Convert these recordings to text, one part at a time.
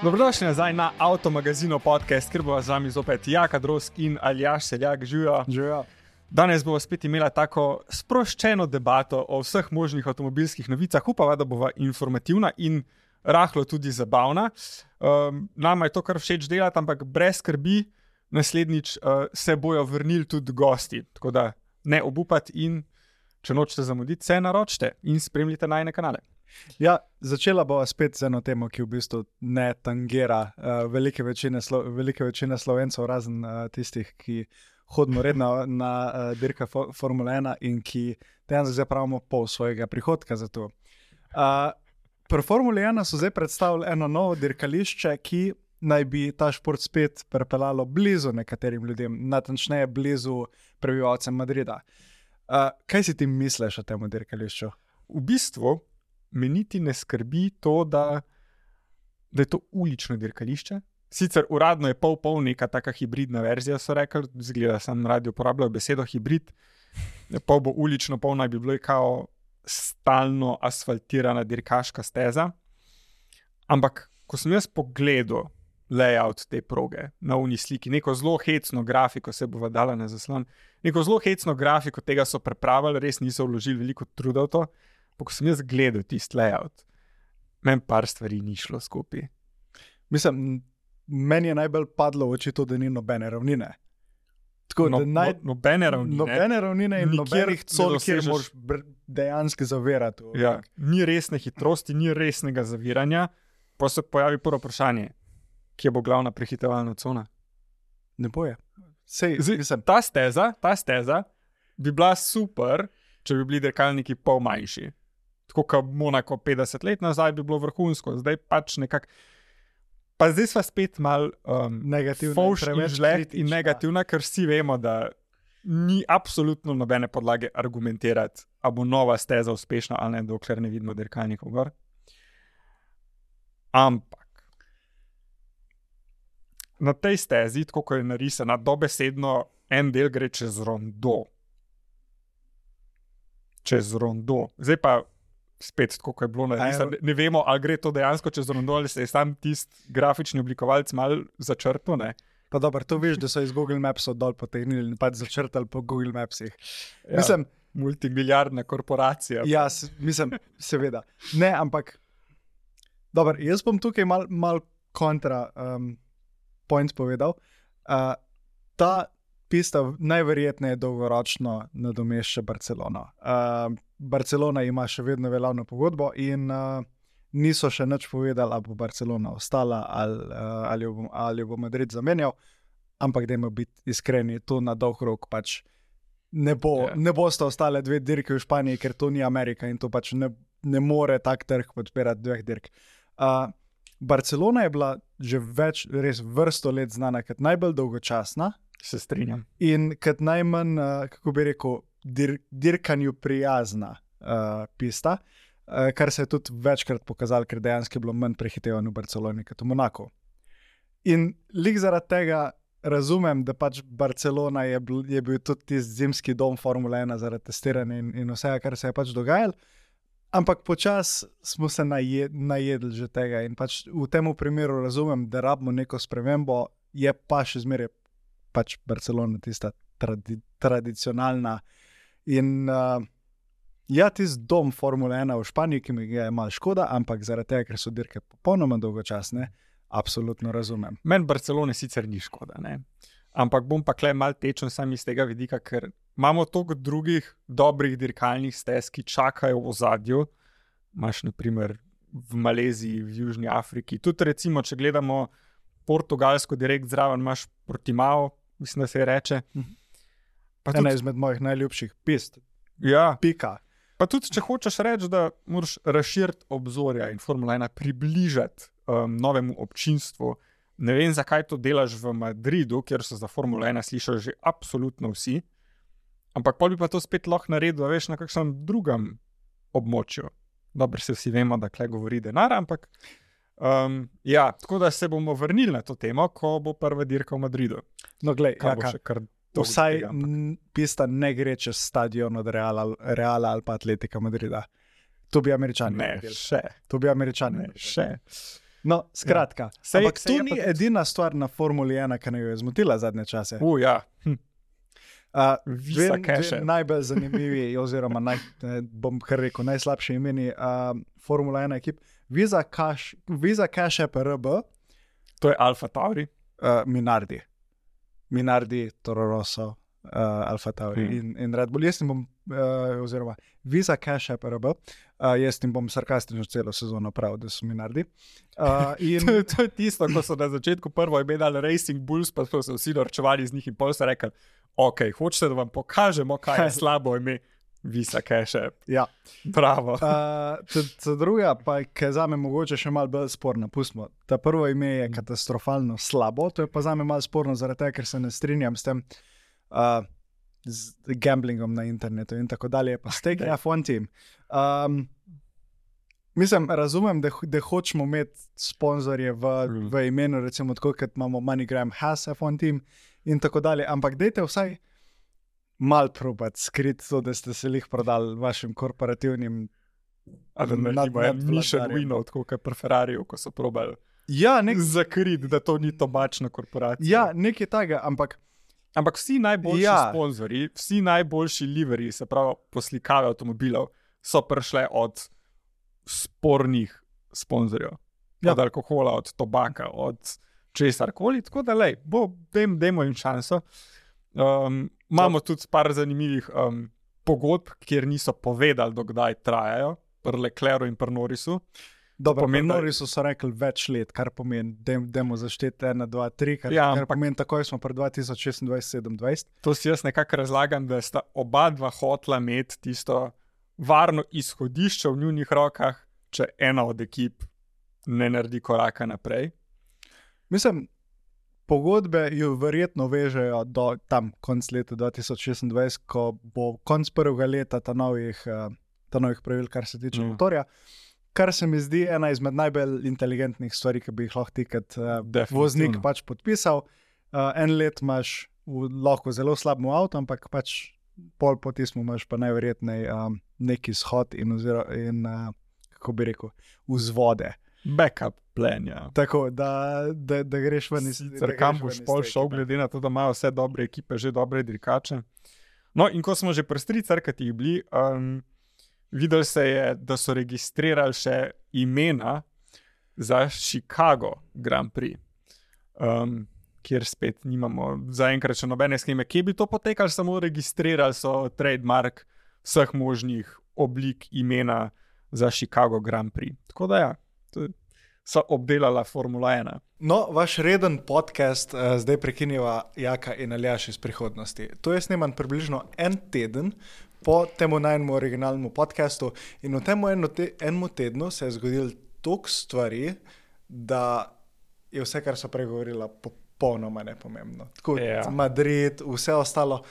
Dobrodošli nazaj na Avtomagazino podcast, kjer bo z vami zopet Jaka Drosk in Aljaž Seljak. Živijo. Danes bomo spet imela tako sproščeno debato o vseh možnih avtomobilskih novicah. Upava, da bova informativna in rahlo tudi zabavna. Nama je to kar všeč delati, ampak brez skrbi, naslednjič se bojo vrnili tudi gosti. Tako da ne obupati in če nočete zamuditi, se naročite in spremljite najine kanale. Ja, začela bova spet z eno temo, ki v bistvu ne tangira velike večine Slovencev, razen tistih, ki hodimo redno na dirka Formule 1 in ki dejansko zdaj pravimo pol svojega prihodka za to. Pri Formule 1 so zdaj predstavili eno novo dirkališče, ki naj bi ta šport spet pripeljalo blizu nekaterim ljudem, natančneje blizu prebivalcem Madrida. Kaj si ti misliš o tem dirkališču? V bistvu me niti ne skrbi to, da je to ulično dirkališče. Sicer uradno je pol neka taka hibridna verzija, so rekli, zgleda, sem radio uporabljal besedo hibrid, pol bo ulično, pol naj bi bilo kao stalno asfaltirana dirkaška steza. Ampak, ko sem jaz pogledal layout te proge na uni sliki, neko zelo hecno grafiko, se bova dala na zaslon, neko zelo hecno grafiko tega so prepravili, res niso vložili veliko truda v to. Pa ko sem jaz gledal tisti layout, meni par stvari ni šlo skupaj. Mislim, meni je najbolj padlo v oči to, da ni nobene ravnine. Tako, nobene ravnine. Nobene ravnine in nobenih con, kjer moraš dejansko zavirati. Ja, ni resne hitrosti, ni resnega zaviranja, pa se pojavi prvo vprašanje, kje bo glavna prehitevalna cona? Ne boje. Ta steza bi bila super, če bi bili dirkalniki pol manjši. Tako kot Monako 50 let nazaj bi bilo vrhunsko, zdaj pač nekako. Pa zdaj sva spet malo negativna, ker vsi vemo, da ni absolutno nobene podlage argumentirati, a bo nova steza uspešna ali ne, dokler ne vidimo dirkalnikov gor. Ampak na tej stezi, tako kot je narisana, dobesedno en del gre čez rondo. Zdaj pa spet, tako kot je bilo narisano, ne vemo, ali gre to dejansko čez rondo, ali se je sam tisti grafični oblikovalec malo začrtal, ne? Pa dobro, to veš, da so iz Google Mapsov dol potegnili in pač začrtali po Google Mapsih. Ja, mislim, multimilijardna korporacija. Ja, mislim, seveda. Ne, ampak dobro, jaz bom tukaj mal kontra point povedal. Ta pista najverjetneje dolgoročno nadomešča Barcelono. Barcelona ima še vedno veljavno pogodbo in niso še nič povedali, ali bo Barcelona ostala ali jo bo Madrid zamenjal, ampak dajmo biti iskreni, to na dolg rok pač ne bosta ostale dve dirke v Španiji, ker to ni Amerika in to pač ne more tak trg podpirati dveh dirk. Barcelona je bila že res vrsto let znana kot najbolj dolgočasna, se strinjam, in kot najmanj, kako bi rekel, dirkanju prijazna pista, kar se je tudi večkrat pokazalo, ker dejansko je bilo manj prehitevanj v Barceloni kot v Monaku. In lik zaradi tega razumem, da pač Barcelona je bil tudi tisti zimski dom Formule 1 zaradi testiranja in vsega, kar se je pač dogajalo, ampak počas smo se najedli že tega in pač v tem primeru razumem, da rabimo neko spremembo, je pa še zmeraj pač Barcelona tista tradicionalna in ja, tisti dom Formule 1 v Španiji, ki mi je malo škoda, ampak zaradi tega, ker so dirke popolnoma dolgočasne, absolutno razumem. Meni Barcelone sicer ni škoda, ne? Ampak bom pa kle malo tečen sam iz tega vidika, ker imamo toliko drugih dobrih dirkalnih stez, ki čakajo v ozadju. Imaš na primer v Maleziji, v Južni Afriki, tudi recimo, če gledamo Portugalsko direkt zraven, imaš Portimao, mislim, da se reče. Ena izmed mojih najljubših pist. Ja. Pika. Pa tudi, če hočeš reči, da moraš razširiti obzorja in Formula 1 približati novemu občinstvu. Ne vem, zakaj to delaš v Madridu, kjer so za Formula 1 slišali že absolutno vsi, ampak pol bi pa to spet lahko naredil, veš, na kakšnem drugem območju. Dobro, se vsi vemo, da kle govori denar, ampak ja, tako da se bomo vrnili na to temo, ko bo prva dirka v Madridu. No, glej, vsaj pista ne gre čez stadion od Reala ali pa Atletika Madrida. To bi Američani ne, še. To bi Američani ne, še. No, skratka. Ampak to ni edina stvar na Formuli 1, ki jo je zmotila zadnje čase. Ja. Dve najbolj zanimivi, oziroma bom kar rekel, najslabši imeni Formula 1 ekip. Visa Cash App RB. To je Alfa Tauri. Minardi, Toro Rosso, Alfa Tauri in Red Bull. Jaz bom, oziroma Visa Cash App RB, jaz bom sarkastično celo sezono pravil, da so Minardi. To je tisto, ko so na začetku prvo ime dali Racing Bulls, pa so se vsi norčevali z njih in pol so rekli, ok, hočete, da vam pokažemo, kaj je slabo ime Visa Cash App. Ja. Bravo. Ta druga pa, ki je zame mogoče še malo bolj sporna, pustimo. Ta prvo ime je katastrofalno slabo, to je pa zame malo sporno zaradi tega, ker se ne strinjam s tem z gamblingom na internetu in tako dalje, pa Stake F1 Team. Mislim, razumem, da hočemo imeti sponzorje v imenu, recimo tako, kot imamo MoneyGram has F1 Team in tako dalje, ampak dajte vsaj mal probati skriti to, da ste se jih prodali vašim korporativnim Mission Winov, tako kot pri Ferrariju, ko so probali zakriti, da to ni tobačna korporacija. Ja, nekaj takega, ampak vsi najboljši sponzorji, vsi najboljši liverji, se pravi poslikave avtomobilov, so prišle od spornih sponzorjev. Od alkohola, od tobaka, od česarkoli, tako da dajmo jim šanso. Imamo tudi par zanimivih pogodb, kjer niso povedali, dokdaj trajajo, pri Leclercu in pri Norrisu. Dobro, pri Norrisu so rekli več let, kar pomeni, dajmo zašteti 1, 2, 3, kar pomeni, takoj smo pri 2026-2027. To si jaz nekako razlagam, da sta oba dva hotla imeti tisto varno izhodišče v njunih rokah, če ena od ekip ne naredi koraka naprej. Mislim, pogodbe jo verjetno vežejo do tam konc leta 2026, ko bo konc prvega leta ta novih pravil, kar se tiče motorja, kar se mi zdi ena izmed najbolj inteligentnih stvari, ki bi jih lahko ti kot voznik pač podpisal. En let imaš lahko zelo slabemu avto, ampak pač pol po tismu imaš pa najverjetnej neki shod in kako bi rekel, vzvode. Backup plan, ja. Tako, da greš ven iz... Kam boš pol šel, glede na to, da imajo vse dobre ekipe, že dobre dirkače. No, in ko smo že pri stricarkatih bili, videli se je, da so registrirali še imena za Chicago Grand Prix, kjer spet nimamo zaenkrat še nobene skeme. Kje bi to potekali? Samo registrirali so trademark vseh možnih oblik imena za Chicago Grand Prix. Tako da ja, so obdelala Formula 1. No, vaš reden podcast zdaj prekinjava Jaka in Aljaš iz prihodnosti. To je sneman približno en teden po temu najnemu originalnemu podcastu in v temu enemu tednu se je zgodilo toliko stvari, da je vse, kar so pregovorila, popolnoma nepomembno. Tako, Madrid, vse ostalo,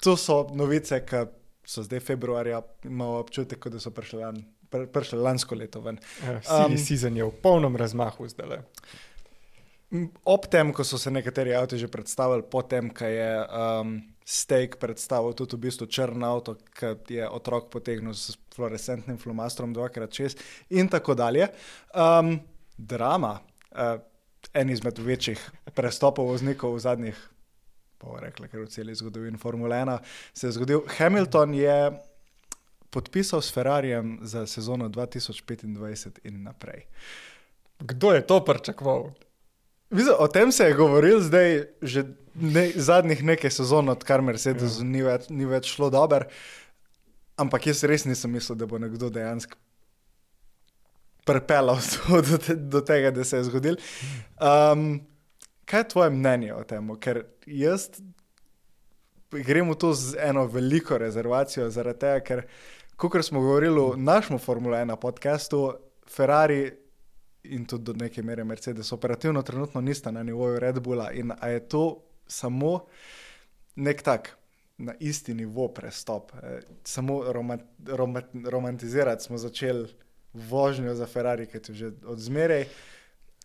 to so novice, ki so zdaj februarja, imamo občutek, da so prišli lansko leto ven. Silly season je v polnem razmahu zdaj. Ob tem, ko so se nekateri avti že predstavili, potem, ko je Stake predstavil tudi v bistvu črn avto, ki je otrok potegnil s fluorescentnim flomastrom 2x6 in tako dalje. Drama, en izmed večjih prestopov voznikov v zadnjih, pa rekla, ker v celi zgodovini Formule 1 se je zgodil. Hamilton je podpisal s Ferrarijem za sezono 2025 in naprej. Kdo je to pričakoval? O tem se je govoril zdaj že zadnjih nekaj sezon, odkar Mercedes ni več šlo dober, ampak jaz res nisem mislil, da bo nekdo dejansko pripeljal do tega, da se je zgodil. Kaj je tvoje mnenje o tem? Ker jaz grem v to z eno veliko rezervacijo zaradi tega, ker kakor smo govorili v našem Formula 1 podcastu, Ferrari in tudi do neke mere Mercedes operativno trenutno nista na nivoju Red Bulla in a je to samo nek tak na isti nivo prestop. Samo romantizirati smo začeli vožnjo za Ferrari, ki je že od zmeraj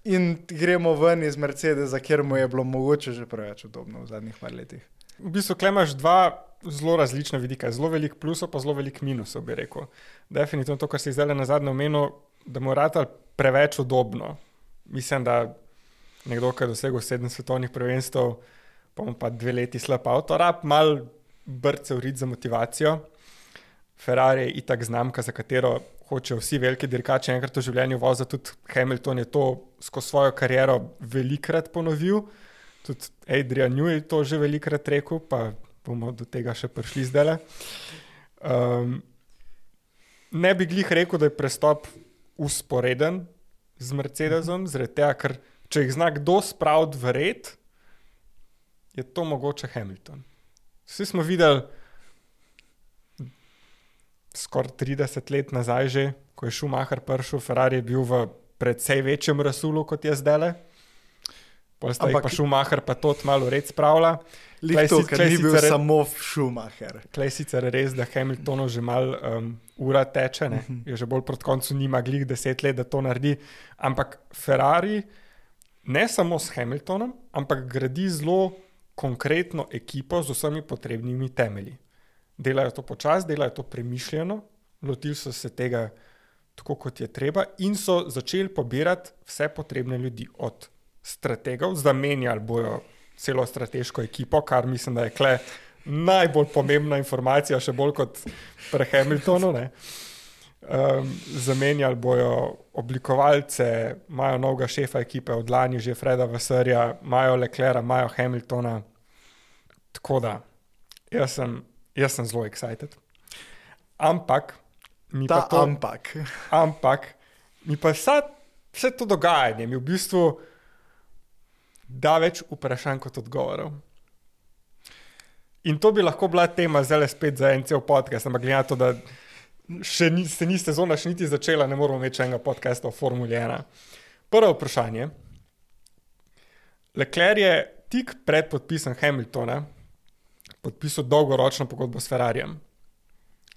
in gremo ven iz Mercedesa, kjer mu je bilo mogoče že preveč udobno v zadnjih par letih. V bistvu imaš dva zelo različna vidika, zelo velik plusov pa zelo velik minusov, bi rekel. Definitivno to, kar si zdaj na zadnje omenil, da mu rata preveč udobno. Mislim, da nekdo, ki je dosegel 7 svetovnih prvenstev, pa 2 leti slab avto, rab mal brce urit za motivacijo. Ferrari je itak znamka, za katero hočejo vsi veliki dirkači enkrat v življenju voziti. Tudi Hamilton je to skozi svojo kariero velikrat ponovil. Tudi Adrian Newey je to že velikrat rekel, pa bomo do tega še prišli zdaj. Ne bi glih rekel, da je prestop usporeden z Mercedesom, zaradi tega, ker če jih zna kdo spraviti v red, je to mogoče Hamilton. Vsi smo videli skoraj 30 let nazaj že, ko je Schumacher prišel, Ferrari je bil v precej večjem rasulu, kot je zdajle. Pa Schumacher pa to malo red spravlja. Ker ni bil samo Schumacher. Klej sicer res, da Hamiltonu že malo ura teče, ne? Je že bolj proti koncu nima glih 10 let, da to naredi. Ampak Ferrari ne samo s Hamiltonom, ampak gradi zelo konkretno ekipo z vsemi potrebnimi temelji. Delajo to počas, delajo to premišljeno, lotili so se tega tako, kot je treba in so začeli pobirati vse potrebne ljudi od strategov, zamenjali bojo celo strateško ekipo, kar mislim, da je kle najbolj pomembna informacija, še bolj kot pri Hamiltonu. Zamenjali bojo oblikovalce, imajo novega šefa ekipe, od lani že Freda Vassarja, imajo Leclerca, imajo Hamiltona. Tako da, jaz sem zelo excited. Ampak mi pa vse to dogajanje mi v bistvu da več vprašanj kot odgovorov. In to bi lahko bila tema zdaj spet za en cel podcast, ampak glede na to, da se ni sezona še niti začela, ne moramo imeti enega podcasta o Formuli 1. Prvo vprašanje. Leclerc je tik pred podpisom Hamiltona podpisal dolgoročno pogodbo s Ferrarijem.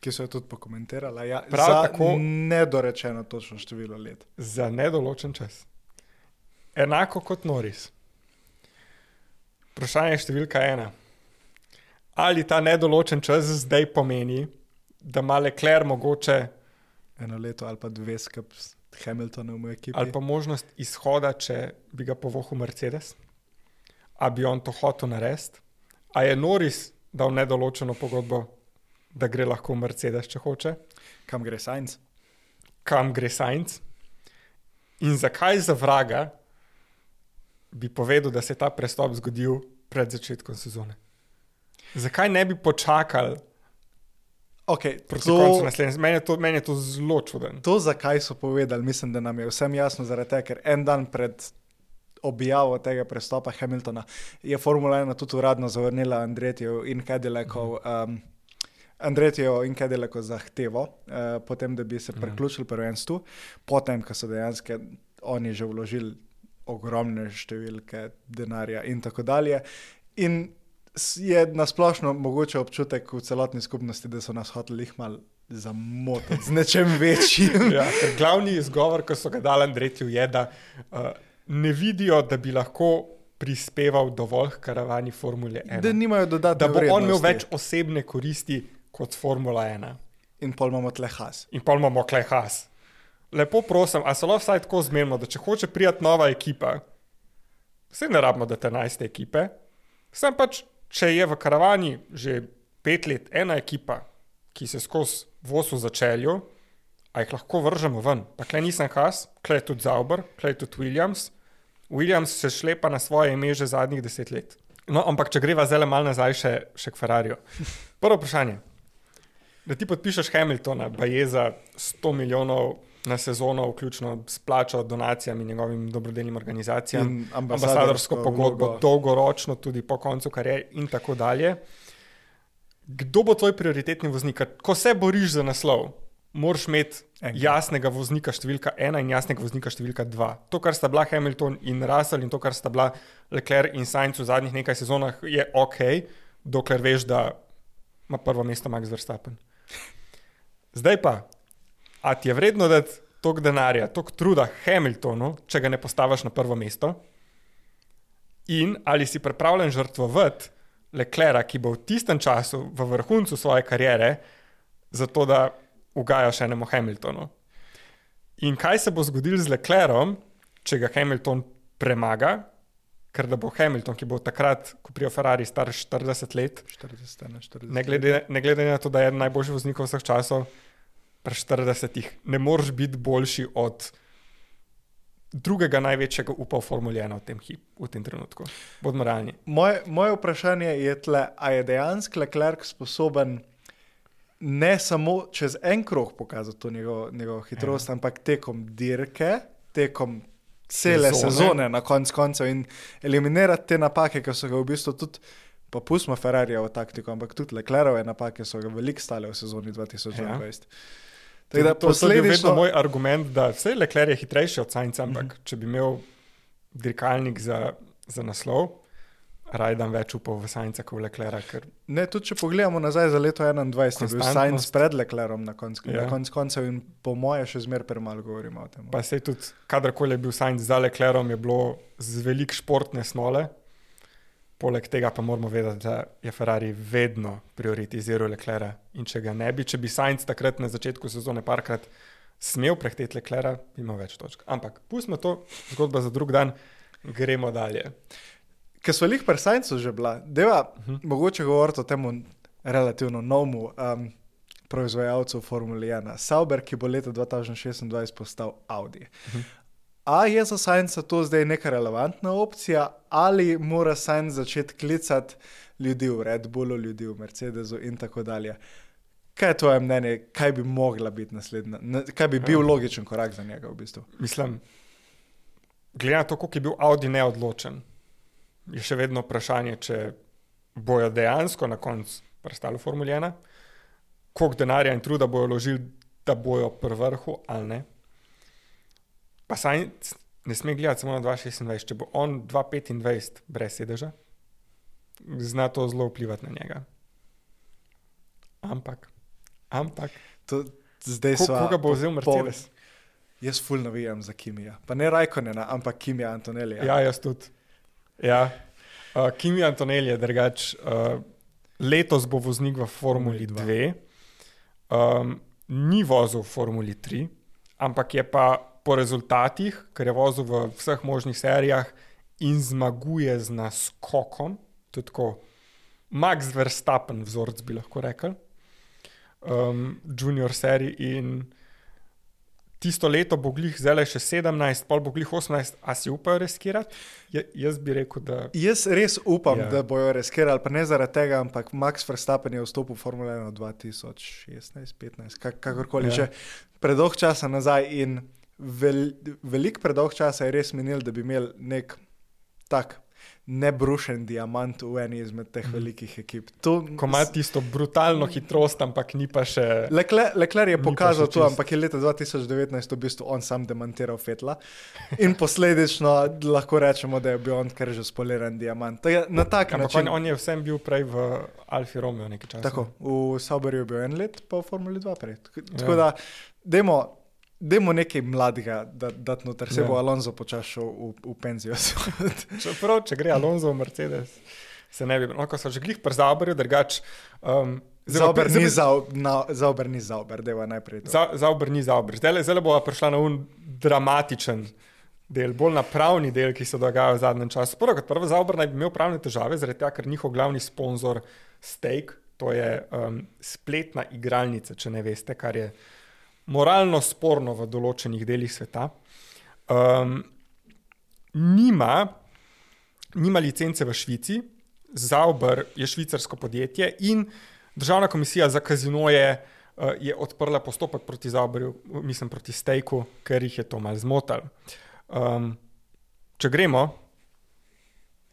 Ki so jo tudi pokomentirala. Ja, tako, nedorečeno točno število let. Za nedoločen čas. Enako kot Norris. Vprašanje številka 1. Ali ta nedoločen čas zdaj pomeni, da ima Leclerc mogoče 1 leto ali pa 2 skupaj s Hamiltonom v ekipi? Ali pa možnost izhoda, če bi ga povohal Mercedes? A bi on to hotel narediti? A je Norris dal nedoločeno pogodbo, da gre lahko v Mercedes, če hoče? Kam gre Sainz? In zakaj za vraga bi povedal, da se je ta prestop zgodil pred začetkom sezone? Zakaj ne bi počakali proti koncu naslednje? Meni je to zelo čuden. To, zakaj so povedali, mislim, da nam je vsem jasno, zaradi tega, ker en dan pred objavo tega prestopa Hamiltona je Formula 1 tudi uradno zavrnila Andrettijev in Cadillacov zahtevo, potem, da bi se priključili prvenstvu, potem, ko so dejansko oni že vložili ogromne številke denarja in tako dalje. In je nasplošno mogoče občutek v celotni skupnosti, da so nas hoteli jih malo zamotiti z nečem večjim. Ja, glavni izgovor, ko so ga dali Andrettiju, je, da ne vidijo, da bi lahko prispeval dovolj k karavani Formule 1. Da nimajo dodatne vrednosti. Da bo on imel več osebne koristi kot Formula 1. In pol imamo tle Haas. Lepo prosim, a se lahko vsaj tako zmenimo, da če hoče prijeti nova ekipa, vse ne rabimo, da te 11 ekipe, sem pač, če je v karavani že 5 let ena ekipa, ki se skozi voz v začelju, a jih lahko vržemo ven. Pa klej nisem Haas, klej tudi Sauber, klej tudi Williams. Williams se šlepa na svoje ime že zadnjih 10 let. No, ampak če greva zdaj malo nazaj še k Ferrariju. Prvo vprašanje. Da ti podpišeš Hamiltona, baje za 100 milijonov na sezono, vključno s plačo, donacijami njegovim dobrodelnim organizacijam, in ambasadorsko pogodbo, dolgoročno tudi po koncu kariere in tako dalje. Kdo bo tvoj prioritetni voznik? Ko se boriš za naslov, moraš imeti jasnega voznika številka 1 in jasnega voznika številka 2. To, kar sta bila Hamilton in Russell in to, kar sta bila Leclerc in Sainz v zadnjih nekaj sezonah, je ok, dokler veš, da ima prvo mesto Max Verstappen. Zdaj pa, a ti je vredno dati toliko denarja, toliko truda Hamiltonu, če ga ne postaviš na prvo mesto? In ali si pripravljen žrtvovati Leclerca, ki bo v tistem času v vrhuncu svoje kariere, zato da ugajaš enemu Hamiltonu? In kaj se bo zgodilo z Leclercom, če ga Hamilton premaga, ker da bo Hamilton, ki bo takrat, ko prije Ferrari, star 40 let, 40. ne glede na to, da je eden najboljših voznikov vseh časov, pri 40 ne moreš biti boljši od drugega največjega upa v Formuli 1 v tem trenutku. Bodimo realni. Moje vprašanje je tle, a je dejansko Leclerc sposoben ne samo čez en krog pokazati to njegovo hitrost, ampak tekom dirke, tekom cele sezone na koncu in eliminirati te napake, ki so ga v bistvu tudi, pa pustimo Ferrarijevo taktiko, ampak tudi Leclercove napake so ga veliko stale v sezoni 2022. To je vedno moj argument, da vse Leclerc je hitrejši od Sainza, ampak če bi imel dirkalnik za naslov, rajdam več upal v Sainza kot v Leclerca. Ker... Ne, tudi če pogledamo nazaj za leto 2021, je bil Sainz pred Leclercom na koncu in po moje še zmer premalo govorimo o tem. Pa sej tudi, kadarkoli je bil Sainz za Leclercom, je bilo z veliko športne snole. Poleg tega pa moramo vedeti, da je Ferrari vedno prioritiziral Leclerca in če ga ne bi, če bi Sainz takrat na začetku sezone parkrat smel prehteti Leclerca, bi imel več točk. Ampak pustimo to, zgodba za drug dan, gremo dalje. Ker so lih pri Sainzu že bila, deva mogoče govoriti o temu relativno novemu proizvajalcu Formule 1, Sauber, ki bo leta 2026 postal Audi. A je za Sainza to zdaj neka relevantna opcija ali mora Sainz začeti klicati ljudi v Red Bullu, ljudi v Mercedesu in tako dalje? Kaj je tvoje mnenje, kaj bi mogla biti naslednja, kaj bi bil logičen korak za njega v bistvu? Mislim, glede na to, koliko je bil Audi neodločen, je še vedno vprašanje, če bojo dejansko na koncu prestali v Formuli 1, koliko denarja in truda bojo vložili, da bojo pri vrhu ali ne. Pa Sainz ne sme gledati samo na 2026, če bo on 2025 brez sedeža, zna to zelo vplivati na njega. Ampak. Koga bo vzel Mercedes? Jaz ful navijam za Kimija. Pa ne Raikkonena, ampak Kimija Antonellija. Ja, jaz tudi. Ja. Kimi Antonelli je drugač. Letos bo voznik v Formuli 2. Ni vozil v Formuli 3, ampak je pa po rezultatih, ker je vozil v vseh možnih serijah in zmaguje z naskokom, to je tako Max Verstappen vzorc, bi lahko rekel, junior seriji in tisto leto bo glih zdaj še 17, pol bo glih 18, a si upajo riskirati? Jaz bi rekel, da... Jaz res upam, da bojo riskirali, pa ne zaradi tega, ampak Max Verstappen je vstopil v Formule 1 2016-15, kakorkoli že predolg časa nazaj in veliko predolg časa je res minil, da bi imel nek tak nebrušen diamant v eni izmed teh velikih ekip. Ko ima tisto brutalno hitrost, ampak ni pa še... Leclerc je pokazal to, ampak je leta 2019 v bistvu on sam demantiral Vettela in posledično lahko rečemo, da je bil on kar že spoliran diamant. Na tak način... On je vsem bil prej v Alfi Romeo nekaj časa. Tako, v Sauberju je bil en let, pa v Formuli 2 prej. Tako da, dajmo nekaj mladega, da noter se bo Alonso počašal v penzijo. Čeprav, če gre Alonso v Mercedes, se ne bi... No, ko so že glih pri Zauberju, drugač... Zauber ni Zauber, deva najprej to. Zauber ni Zauber. Zdaj bo prišla na dramatičen del, bolj na pravni del, ki se dogaja v zadnjem času. Prvo Zauber naj bi imel pravne težave, zaradi tega, ker njihov glavni sponzor Stake, to je spletna igralnica, če ne veste, kar je moralno sporno v določenih delih sveta. Nima licence v Švici, Zauber je švicarsko podjetje in državna komisija za kazinoje je odprla postopek proti Zauberju, mislim proti Stakeu, ker jih je to malo zmotalo. Če gremo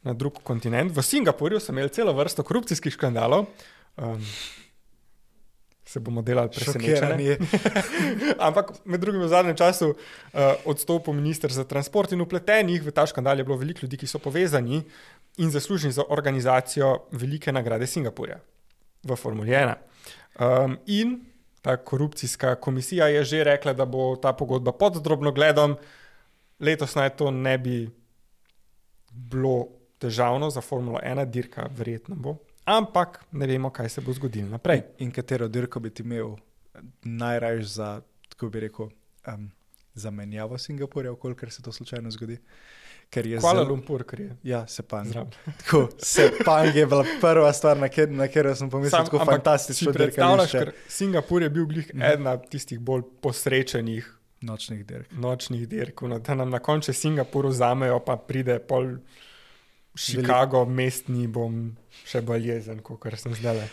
na drug kontinent, v Singapurju so imeli celo vrsto korupcijskih škandalov, se bomo delali presenečeni. Ampak med drugim v zadnjem času odstopil minister za transport in vpletenih v ta škandal je bilo veliko ljudi, ki so povezani in zaslužni za organizacijo velike nagrade Singapurja v Formuli 1. In ta korupcijska komisija je že rekla, da bo ta pogodba pod drobnogledom. Letos naj to ne bi bilo težavno za Formulo 1, dirka verjetno bo. Ampak ne vemo, kaj se bo zgodilo naprej. In katero dirko bi ti imel najrajš za, tako bi rekel, zamenjavo Singapurja, kolikor se to slučajno zgodi. Ker je Kuala Lumpur, ker je. Ja, Sepang. Zraven. Tako, Sepang je bila prva stvar, na katero sem pomislil, tako fantastično predstavljaš, dirkališče. ker Singapur je bil glih ena tistih bolj posrečenih Nočnih dirk. nočnih dirk, no, da nam na koncu Singapur vzamejo, pa pride pol Chicago, mestni, bom še bolj jezen, kot sem zdaj.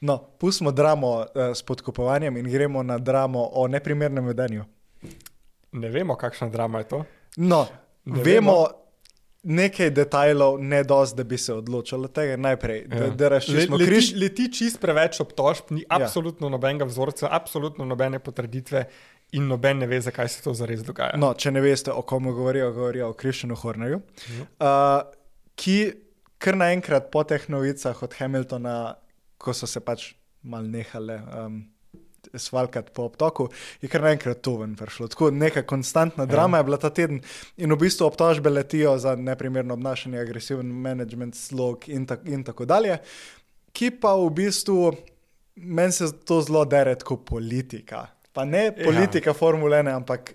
No, pustimo dramo s podkupovanjem in gremo na dramo o neprimernem vedenju. Ne vemo, kakšna drama je to. No, Ne vemo nekaj detajlov, ne dosti, da bi se odločilo tega. Najprej, da razčistimo križ. Leti čist preveč obtožb, ni absolutno nobenega vzorca, absolutno nobene potrditve in noben ne ve, zakaj se to zares dogaja. No, če ne veste, o komu govorijo o Christianu Hornerju, ki kar naenkrat po teh novicah od Hamiltona, ko so se pač mal nehale svalkati po obtoku, je kar naenkrat to ven prišlo. Tako neka konstantna drama je bila ta teden in v bistvu obtožbe letijo za neprimerno obnašanje, agresiven management, slog in tako dalje, ki pa v bistvu, meni se to zelo dere tako politika. Pa ne politika Formule 1, ampak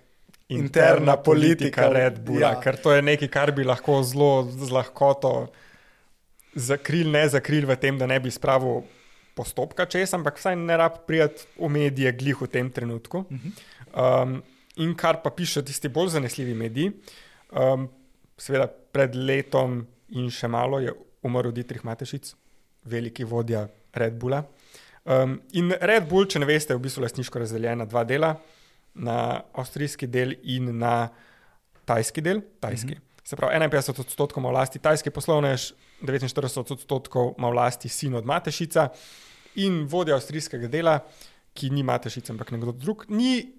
interna politika Red Bulla, ker to je nekaj, kar bi lahko zelo z lahkoto zakril v tem, da ne bi spravil postopka čez, ampak vsaj ne rab prijeti v medije glih v tem trenutku. In kar pa piše tisti bolj zanesljivi mediji, seveda pred letom in še malo je umrl Dietrich Mateschitz, veliki vodja Red Bulla. In Red Bull, če ne veste, je v bistvu lastniško razdeljena dva dela, na avstrijski del in na tajski del. Se pravi, 51% ima v lasti tajski poslovnež, 49% ima v lasti sin od Mateschitza in vodja avstrijskega dela, ki ni Mateschitz, ampak nekdo drug, ni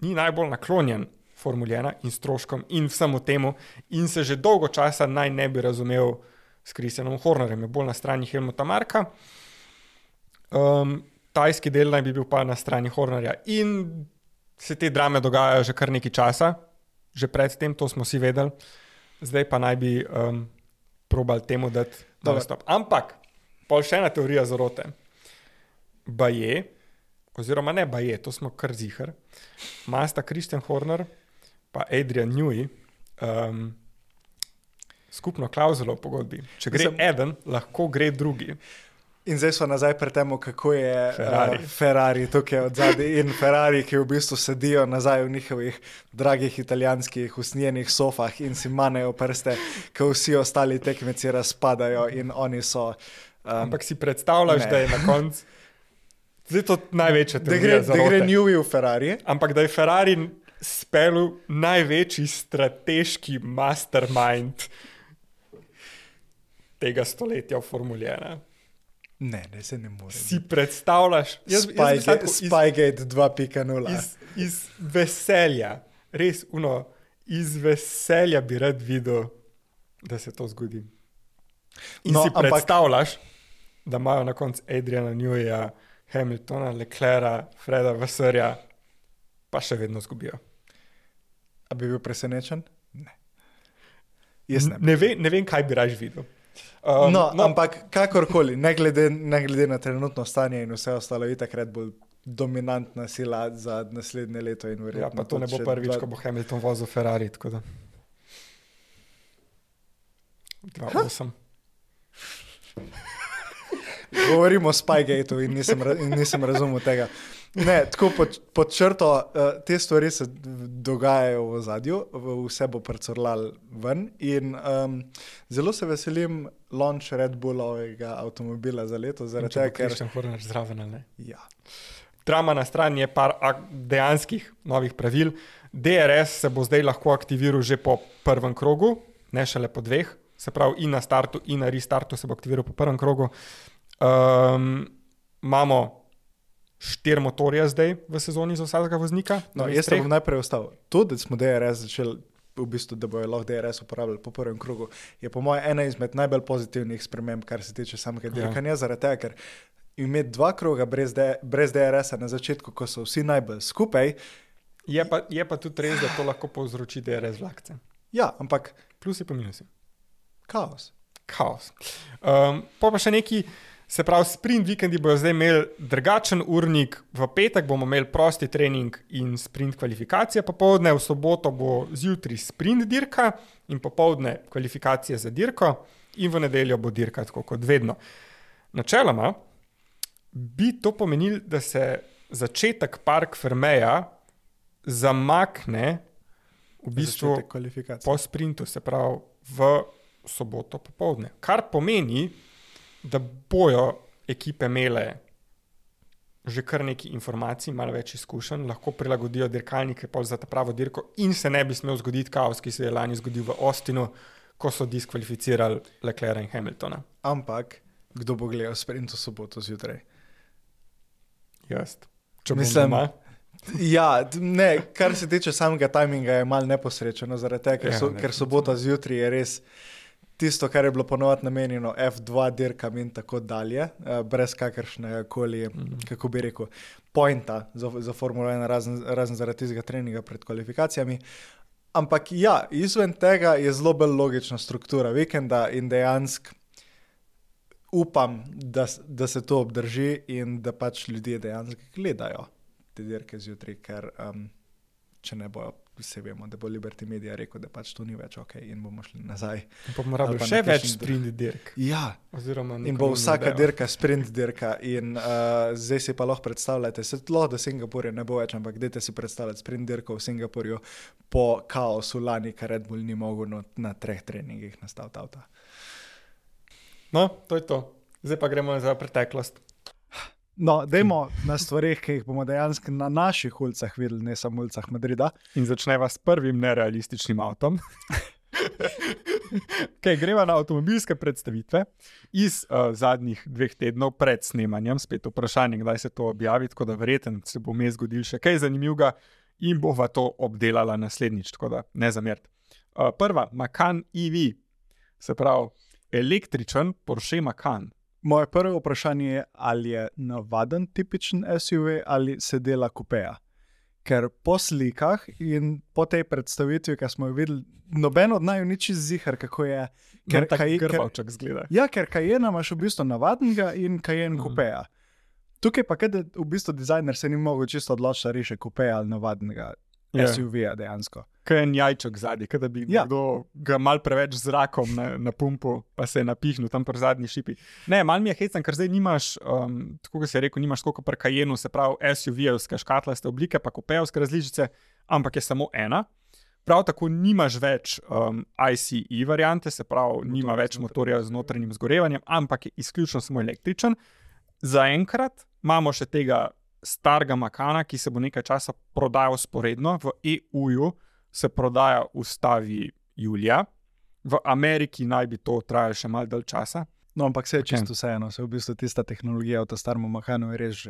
najbolj naklonjen Formuli 1 in stroškom in vsemu temu in se že dolgo časa naj ne bi razumel s Christianom Hornerjem, je bolj na strani Helmuta Marka. Tajski del naj bi bil pa na strani Hornerja in se te drame dogajajo že kar nekaj časa, že predtem, to smo vsi vedeli, zdaj pa naj bi probali temu dati stop. Ampak, pol še ena teorija zarote. Baje, oziroma ne baje, to smo kar ziher, masta Christian Horner pa Adrian Newey skupno klauzulo v pogodbi. Če gre eden, lahko gre drugi. In zdaj smo nazaj pri temu, kako je Ferrari tukaj od zadaj in Ferrari, ki v bistvu sedijo nazaj v njihovih dragih italijanskih usnjenih sofah in si manejo prste, ko vsi ostali tekmeci razpadajo in oni so... Ampak si predstavljaš, da je na koncu... Zdaj to največja teorija zarote. Da gre Newey v Ferrari. Ampak da je Ferrari spelil največji strateški mastermind tega stoletja v Formuli 1. Ne, se ne more. Si predstavljaš? Spygate 2.0. Iz veselja, res iz veselja bi rad videl, da se to zgodi. In si predstavljaš, da imajo na koncu Adriana Neweyja, Hamiltona, Leclerca, Freda Vasserja, pa še vedno zgubijo. A bi bil presenečen? Ne. Ne vem, kaj bi raje videl. Ampak kakorkoli, ne glede na trenutno stanje in vse ostalo, itak Red Bull dominantna sila za naslednje leto in verjetno. Ja, pa to ne bo prvič, ko bo Hamilton vozil Ferrari, tako da. 2-8. Govorimo o Spygateu in nisem razumel tega. Ne, tako pod črto, te stvari se dogajajo v ozadju, vse bo prcurlal ven in zelo se veselim launch Red Bullovega avtomobila za leto, zaradi tega, ker... Christian Horner zraven, ne? Ja. Drama na strani je par dejanskih novih pravil. DRS se bo zdaj lahko aktiviral že po prvem krogu, ne šele po dveh, se pravi in na startu in na restartu se bo aktiviral po prvem krogu. Imamo 4 motorje zdaj v sezoni za vsakega voznika. No, jaz se bom najprej ostal. To, da smo DRS začeli, v bistvu, da bojo lahko DRS uporabljali po prvem krogu, je po mojem ena izmed najbolj pozitivnih sprememb, kar se tiče samega dirkanja, zaradi tega, ker imeti 2 kroga brez DRS-a na začetku, ko so vsi najbolj skupaj. Je pa tudi res, da to lahko povzroči DRS vlakce. Ja, ampak... Plusi pa minusi. Kaos. Pa še neki Se pravi, sprint vikendi bojo zdaj imeli drugačen urnik, v petek bomo imeli prosti trening in sprint kvalifikacije, popoldne, v soboto bo zjutraj sprint dirka in popoldne kvalifikacije za dirko in v nedeljo bo dirka tako kot vedno. Načeloma bi to pomenilo, da se začetek Parc Fermeja zamakne v bistvu po sprintu, se pravi v soboto popoldne, kar pomeni, da bojo ekipe imele že kar nekaj informacij, malo več izkušenj, lahko prilagodijo dirkalnike za ta pravo dirko in se ne bi smel zgoditi kaos, ki se je lani zgodil v Austinu, ko so diskvalificirali Leclerca in Hamiltona. Ampak, kdo bo gledal sprint v soboto zjutraj? Jaz. Mislim, ja, ne, kar se tiče samega timinga je malo neposrečeno, zaradi tega, ker sobota zjutraj je res tisto, kar je bilo ponovadi namenjeno F2 dirkam in tako dalje, brez kakršne koli, kako bi rekel, pointa za Formulo 1, razen zaradi tistega treninga pred kvalifikacijami. Ampak ja, izven tega je zelo bolj logična struktura vikenda in dejansko upam, da se to obdrži in da pač ljudje dejansko gledajo te dirke zjutraj, ker če ne bojo, vse vemo, da bo Liberty Media rekel, da pač to ni več ok in bomo šli nazaj. In bomo rabili še več sprint dirk. Ja, in bo vsaka dirka sprint dirka in zdaj si pa lahko predstavljate, se lahko do Singapurja ne bo več, ampak dajte si predstavljati sprint dirko v Singapurju po kaosu lani, ker Red Bull ni mogel na 3 treningih nastaviti avta. No, to je to. Zdaj pa gremo za preteklost. No, dajmo na stvarih, ki jih bomo dejansko na naših ulicah videli, ne samo ulicah Madrida. In začneva s prvim nerealističnim avtom. Greva na avtomobilske predstavitve iz zadnjih 2 tednov pred snemanjem. Spet vprašanje, kdaj se to objavi, tako da verjetno se bo vmes zgodil še kaj zanimivega in bova to obdelala naslednjič, tako da ne zameriti. Prva, Macan EV, se pravi električen Porsche Macan. Moje prvo vprašanje je, ali je navaden tipičen SUV ali se dela kupeja. Ker po slikah in po tej predstavitvi, ki smo jo videli, noben od naju ni čisto ziher, kako je. Ker Grbavček zgleda. Ja, ker Cayenne imaš v bistvu navadnega in Cayenne kupeja. Tukaj pa kaj, v bistvu dizajner se ni mogel čisto odločiti, da reše kupeja ali navadnega SUV-ja dejansko. Kaj je jajček zadnji, kaj da bi nekdo ga mal preveč zrakom na pumpu, pa se je napihnil tam pri zadnji šipi. Ne, mal mi je hecen, ker zdaj nimaš, tako kot si rekel, nimaš koliko pri Cayenneu, se pravi SUV-evske škatlaste oblike, pa kupejevske različice, ampak je samo ena. Prav tako nimaš več ICE variante, se pravi, nima več motorja z notranjim zgorevanjem, ampak je izključno samo električen. Zaenkrat imamo še tega starega Macana, ki se bo nekaj časa prodajal sporedno. V EU-ju se prodaja v stavi julija. V Ameriki naj bi to trajalo še malo dalj časa. No, ampak se je čisto vseeno. Se v bistvu tista tehnologija v ta starem Macanu je res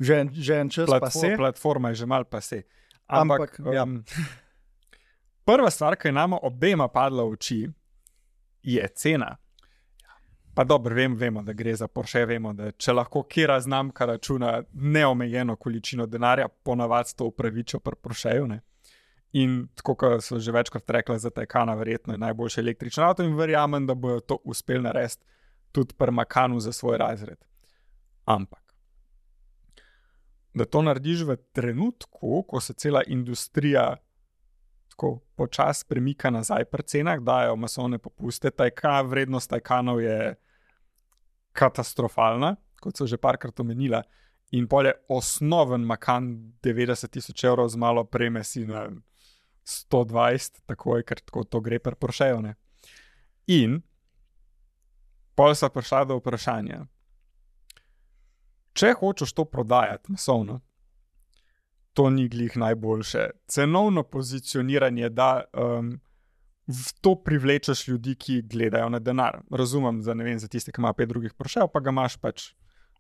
že en čas pase. Platforma je že malo pase. Ampak prva stvar, ki je nama obema padla v oči, je cena. Pa dobro, vemo, da gre za Porsche, vemo, da če lahko kera znamka računa neomejeno količino denarja, ponavadi to upravičijo pri Porscheju, ne. In tako, kot so že večkrat rekla za Taycana, verjetno je najboljši električni avto in verjamem, da bojo to uspeli narediti tudi pri Macanu za svoj razred. Ampak, da to narediš v trenutku, ko se cela industrija tako počas premika nazaj pri cenah, dajo masovne popuste, vrednost Taycanov je katastrofalna, kot so že parkrat omenila, in pol je osnoven Macan 90,000 evrov z malo preme si na 120, takoj, ker tako to gre pri Porscheju, ne. In pol sta prišla do vprašanja, če hočeš to prodajati masovno, to ni glih najboljše. Cenovno pozicioniranje, da v to privlečeš ljudi, ki gledajo na denar. Razumem, za tiste, ki ima 5 drugih Porschejev, pa ga imaš pač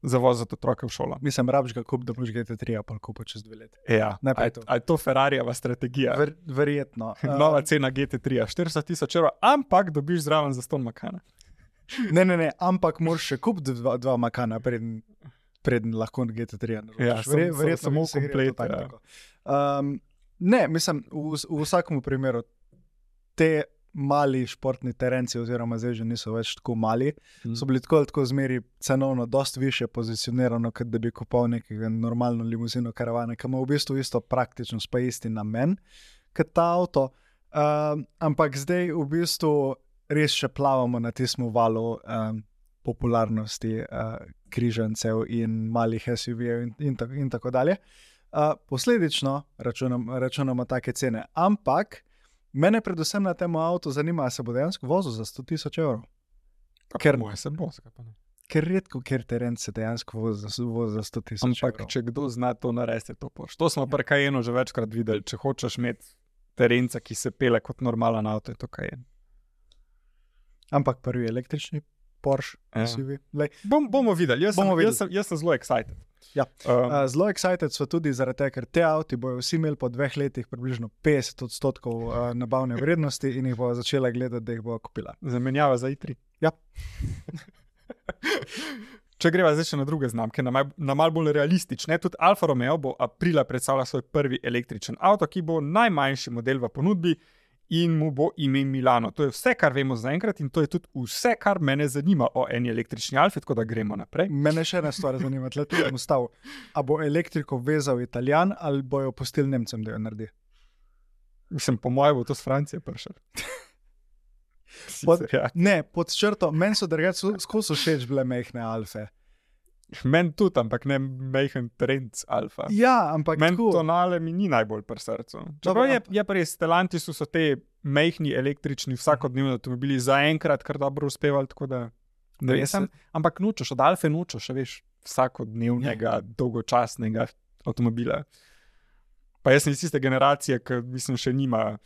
za voziti otroke v šolo. Mislim, rabiš ga kup, da boš GT3 pa kupa čez 2 leta. Ja, a je to Ferrarijeva strategija? Verjetno. Nova cena GT3, 400,000 evrov, ampak dobiš zraven za ston Macana. Ne, ampak moraš še kupiti 2 Macana, preden lahko GT3 naročiš. Ja, verjetno samo komplet. Ne, mislim, v vsakem primeru te mali športni terenci, oziroma zdaj že niso več tako mali, so bili tako zmeri cenovno dosti više pozicionirano, kot da bi kupil nekega normalno limuzino karavane, ki ima v bistvu isto praktičnost, pa isti namen kot ta avto. Ampak zdaj v bistvu res še plavamo na tistem valu popularnosti križancev in malih SUV-jev in tako dalje. Posledično računamo take cene, ampak mene predvsem na tem avtu zanima, se bo dejansko vozil za 100,000 evrov. Moje se bo, zakaj pa ne? Ker redko, ker teren se dejansko vozi za 100,000 evrov. Ampak če kdo zna to narediti, to Porsche. To smo pri Cayenneu že večkrat videli. Če hočeš imeti terenca, ki se pele kot normalen avto, je to Cayenne. Ampak prvi električni Porsche SUV. Bomo videli. Jaz sem zelo excited. Ja. Zelo excited so tudi zaradi tega, ker te avti bojo vsi imeli po 2 letih približno 50% nabavne vrednosti in jih bo začela gledati, da jih bo kupila. Zamenjava za i3. Ja. Če greva zdaj še na druge znamke, na malo bolj realistične, tudi Alfa Romeo bo aprila predstavila svoj prvi električen avto, ki bo najmanjši model v ponudbi in mu bo ime Milano. To je vse, kar vemo zaenkrat in to je tudi vse, kar mene zanima o eni električni Alfi, tako da gremo naprej. Mene še ena stvar zanima, tle tu bom stavil. A bo elektriko vezal Italijan ali bojo pustili Nemcem, da jo naredi? Mislim, po mojem bo to z Francije prišel. Ne, pod črto, meni so drugače skozi všeč bile mehne Alfe. Meni tudi, ampak ne mehen trenc Alfa. Ja, ampak meni tonale mi ni najbolj pri srcu. Čeprav je pri Stellantisu so te mehni električni vsakodnevni avtomobili zaenkrat kar dobro uspevali, tako da ampak nočeš, od Alfe nočeš, veš, vsakodnevnega, dolgočasnega avtomobila. Pa jaz sem iz tiste generacije, ki mislim še nima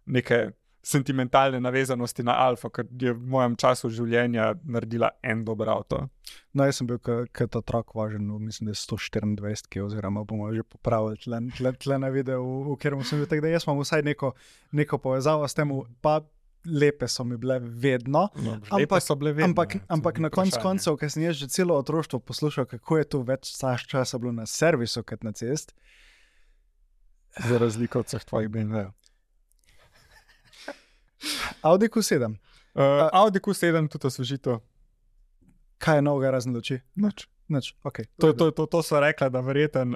neke sentimentalne navezanosti na Alfa, ker je v mojem času življenja naredila en dober avto. No, jaz sem bil kot otrok važen, mislim, da je 124, oziroma bomo že popravili tle na videu, v katerem sem bil, tako da jaz imam vsaj neko povezavo s tem, pa lepe so mi bile vedno. No, lepe so bile vedno. Ampak na koncu, ker sem jaz že celo otroštvo poslušal, kako je tu več časa bilo na servisu kot na cest. Za razliko od vseh tvojih BMW-jev. Audi Q7. Audi Q7, tudi osvežito. Kaj je novega razen luči? Nič, ok. To so rekla, da verjeten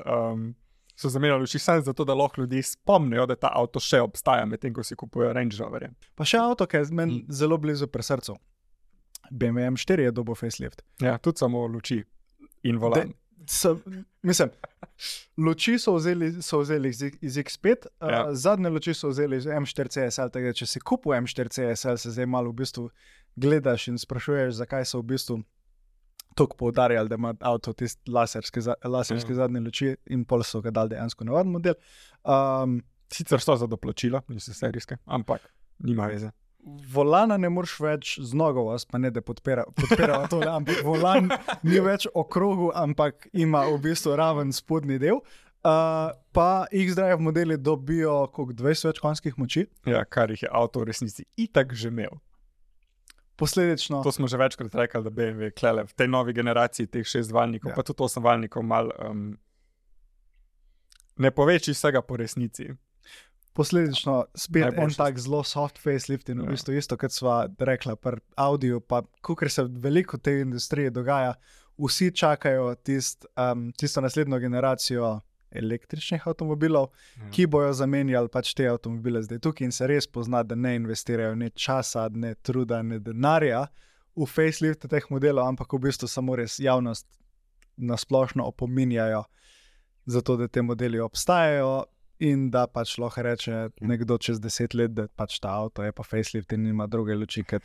so zamenjali luči samo zato, da lahko ljudje spomnijo, da ta avto še obstaja, medtem ko si kupujejo Range Roverje. Pa še avto, ki je meni zelo blizu pri srcu. BMW M4 je dobil facelift. Ja, tudi samo luči in volan. Mislim, luči so vzeli iz X5, zadnje luči so vzeli iz M4 CSL, tako da če si kupil M4 CSL, se zdaj malo v bistvu gledaš in sprašuješ, zakaj so v bistvu toliko poudarjali, da ima avto tisti laserske zadnje luči in pol so ga dali dejansko navaden model. Sicer so za doplačilo, niso serijske, ampak nima veze. Volana ne moreš več z nogo, pa ne da podpira tole, ampak volan ni več okrogu, ampak ima v bistvu raven spodnji del. Pa X-Drive modeli dobijo 20 več konjskih moči. Ja, kar jih je avto v resnici itak že imel. Posledično. To smo že večkrat rekli, da BMW klele v tej novi generaciji teh 6-valjnikov, pa tudi 8-valjnikov mal ne poveči vsega po resnici. Posledično spet en tak zelo soft facelift in v bistvu isto, kot sva rekla pri Audiju, pa kakor se veliko v tej industriji dogaja, vsi čakajo tisto naslednjo generacijo električnih avtomobilov, ki bojo zamenjali pač te avtomobile zdaj tukaj in se res pozna, da ne investirajo ne časa, ne truda, ne denarja v facelift teh modelov, ampak v bistvu samo res javnost nasplošno opominjajo zato, da te modeli obstajajo. In da pač lahko reče nekdo čez 10 let, da pač ta avto je pa facelift in nima druge luči kot...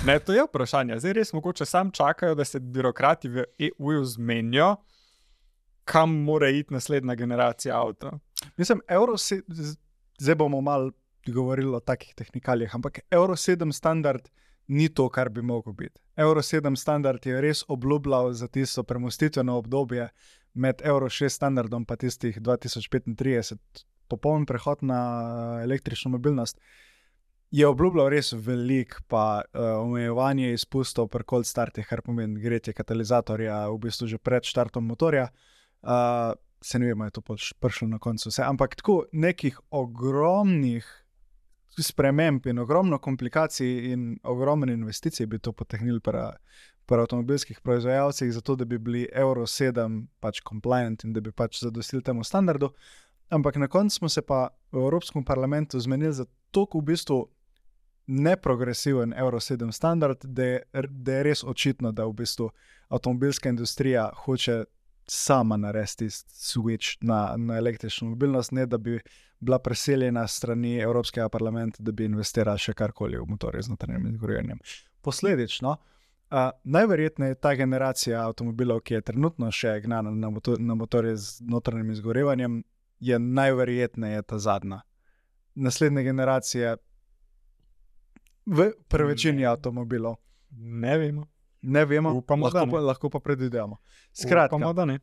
Ne, to je vprašanje. Zdaj res mogoče sam čakajo, da se birokrati v EU zmenijo, kam mora iti naslednja generacija avto. Mislim, zdaj bomo malo govorili o takih tehnikalijah, ampak Euro 7 standard ni to, kar bi mogel biti. Euro 7 standard je res obljubljal za tisto premostitveno obdobje med Euro 6 standardom pa tistih 2035, popoln prehod na električno mobilnost, je obljubljal res velik, pa omejevanje izpustov pri cold startih, kar pomeni gretje katalizatorja v bistvu že pred štartom motorja. Se ne vemo, je to prišlo na koncu vse, ampak tako nekih ogromnih sprememb in ogromno komplikacij in ogromno investicij bi to potegnili pri avtomobilskih proizvajalcih, zato da bi bili Euro 7 pač compliant in da bi pač zadostili temu standardu. Ampak na koncu smo se pa v Evropskem parlamentu zmenili za toliko v bistvu neprogresiven Euro 7 standard, da je res očitno, da v bistvu avtomobilska industrija hoče sama narediti switch na električno mobilnost, ne da bi bila preseljena strani Evropskega parlamenta, da bi investirala še karkoli v motorje z notranjim izgorevanjem. Posledično, najverjetneje ta generacija avtomobilov, ki je trenutno še gnana na motorje z notranjim izgorevanjem, je najverjetneje ta zadnja. Naslednje generacije v večini avtomobilov. Ne vemo. Ne vemo, Upamo, lahko pa predvidevamo. Skratka, Upamo, da ne.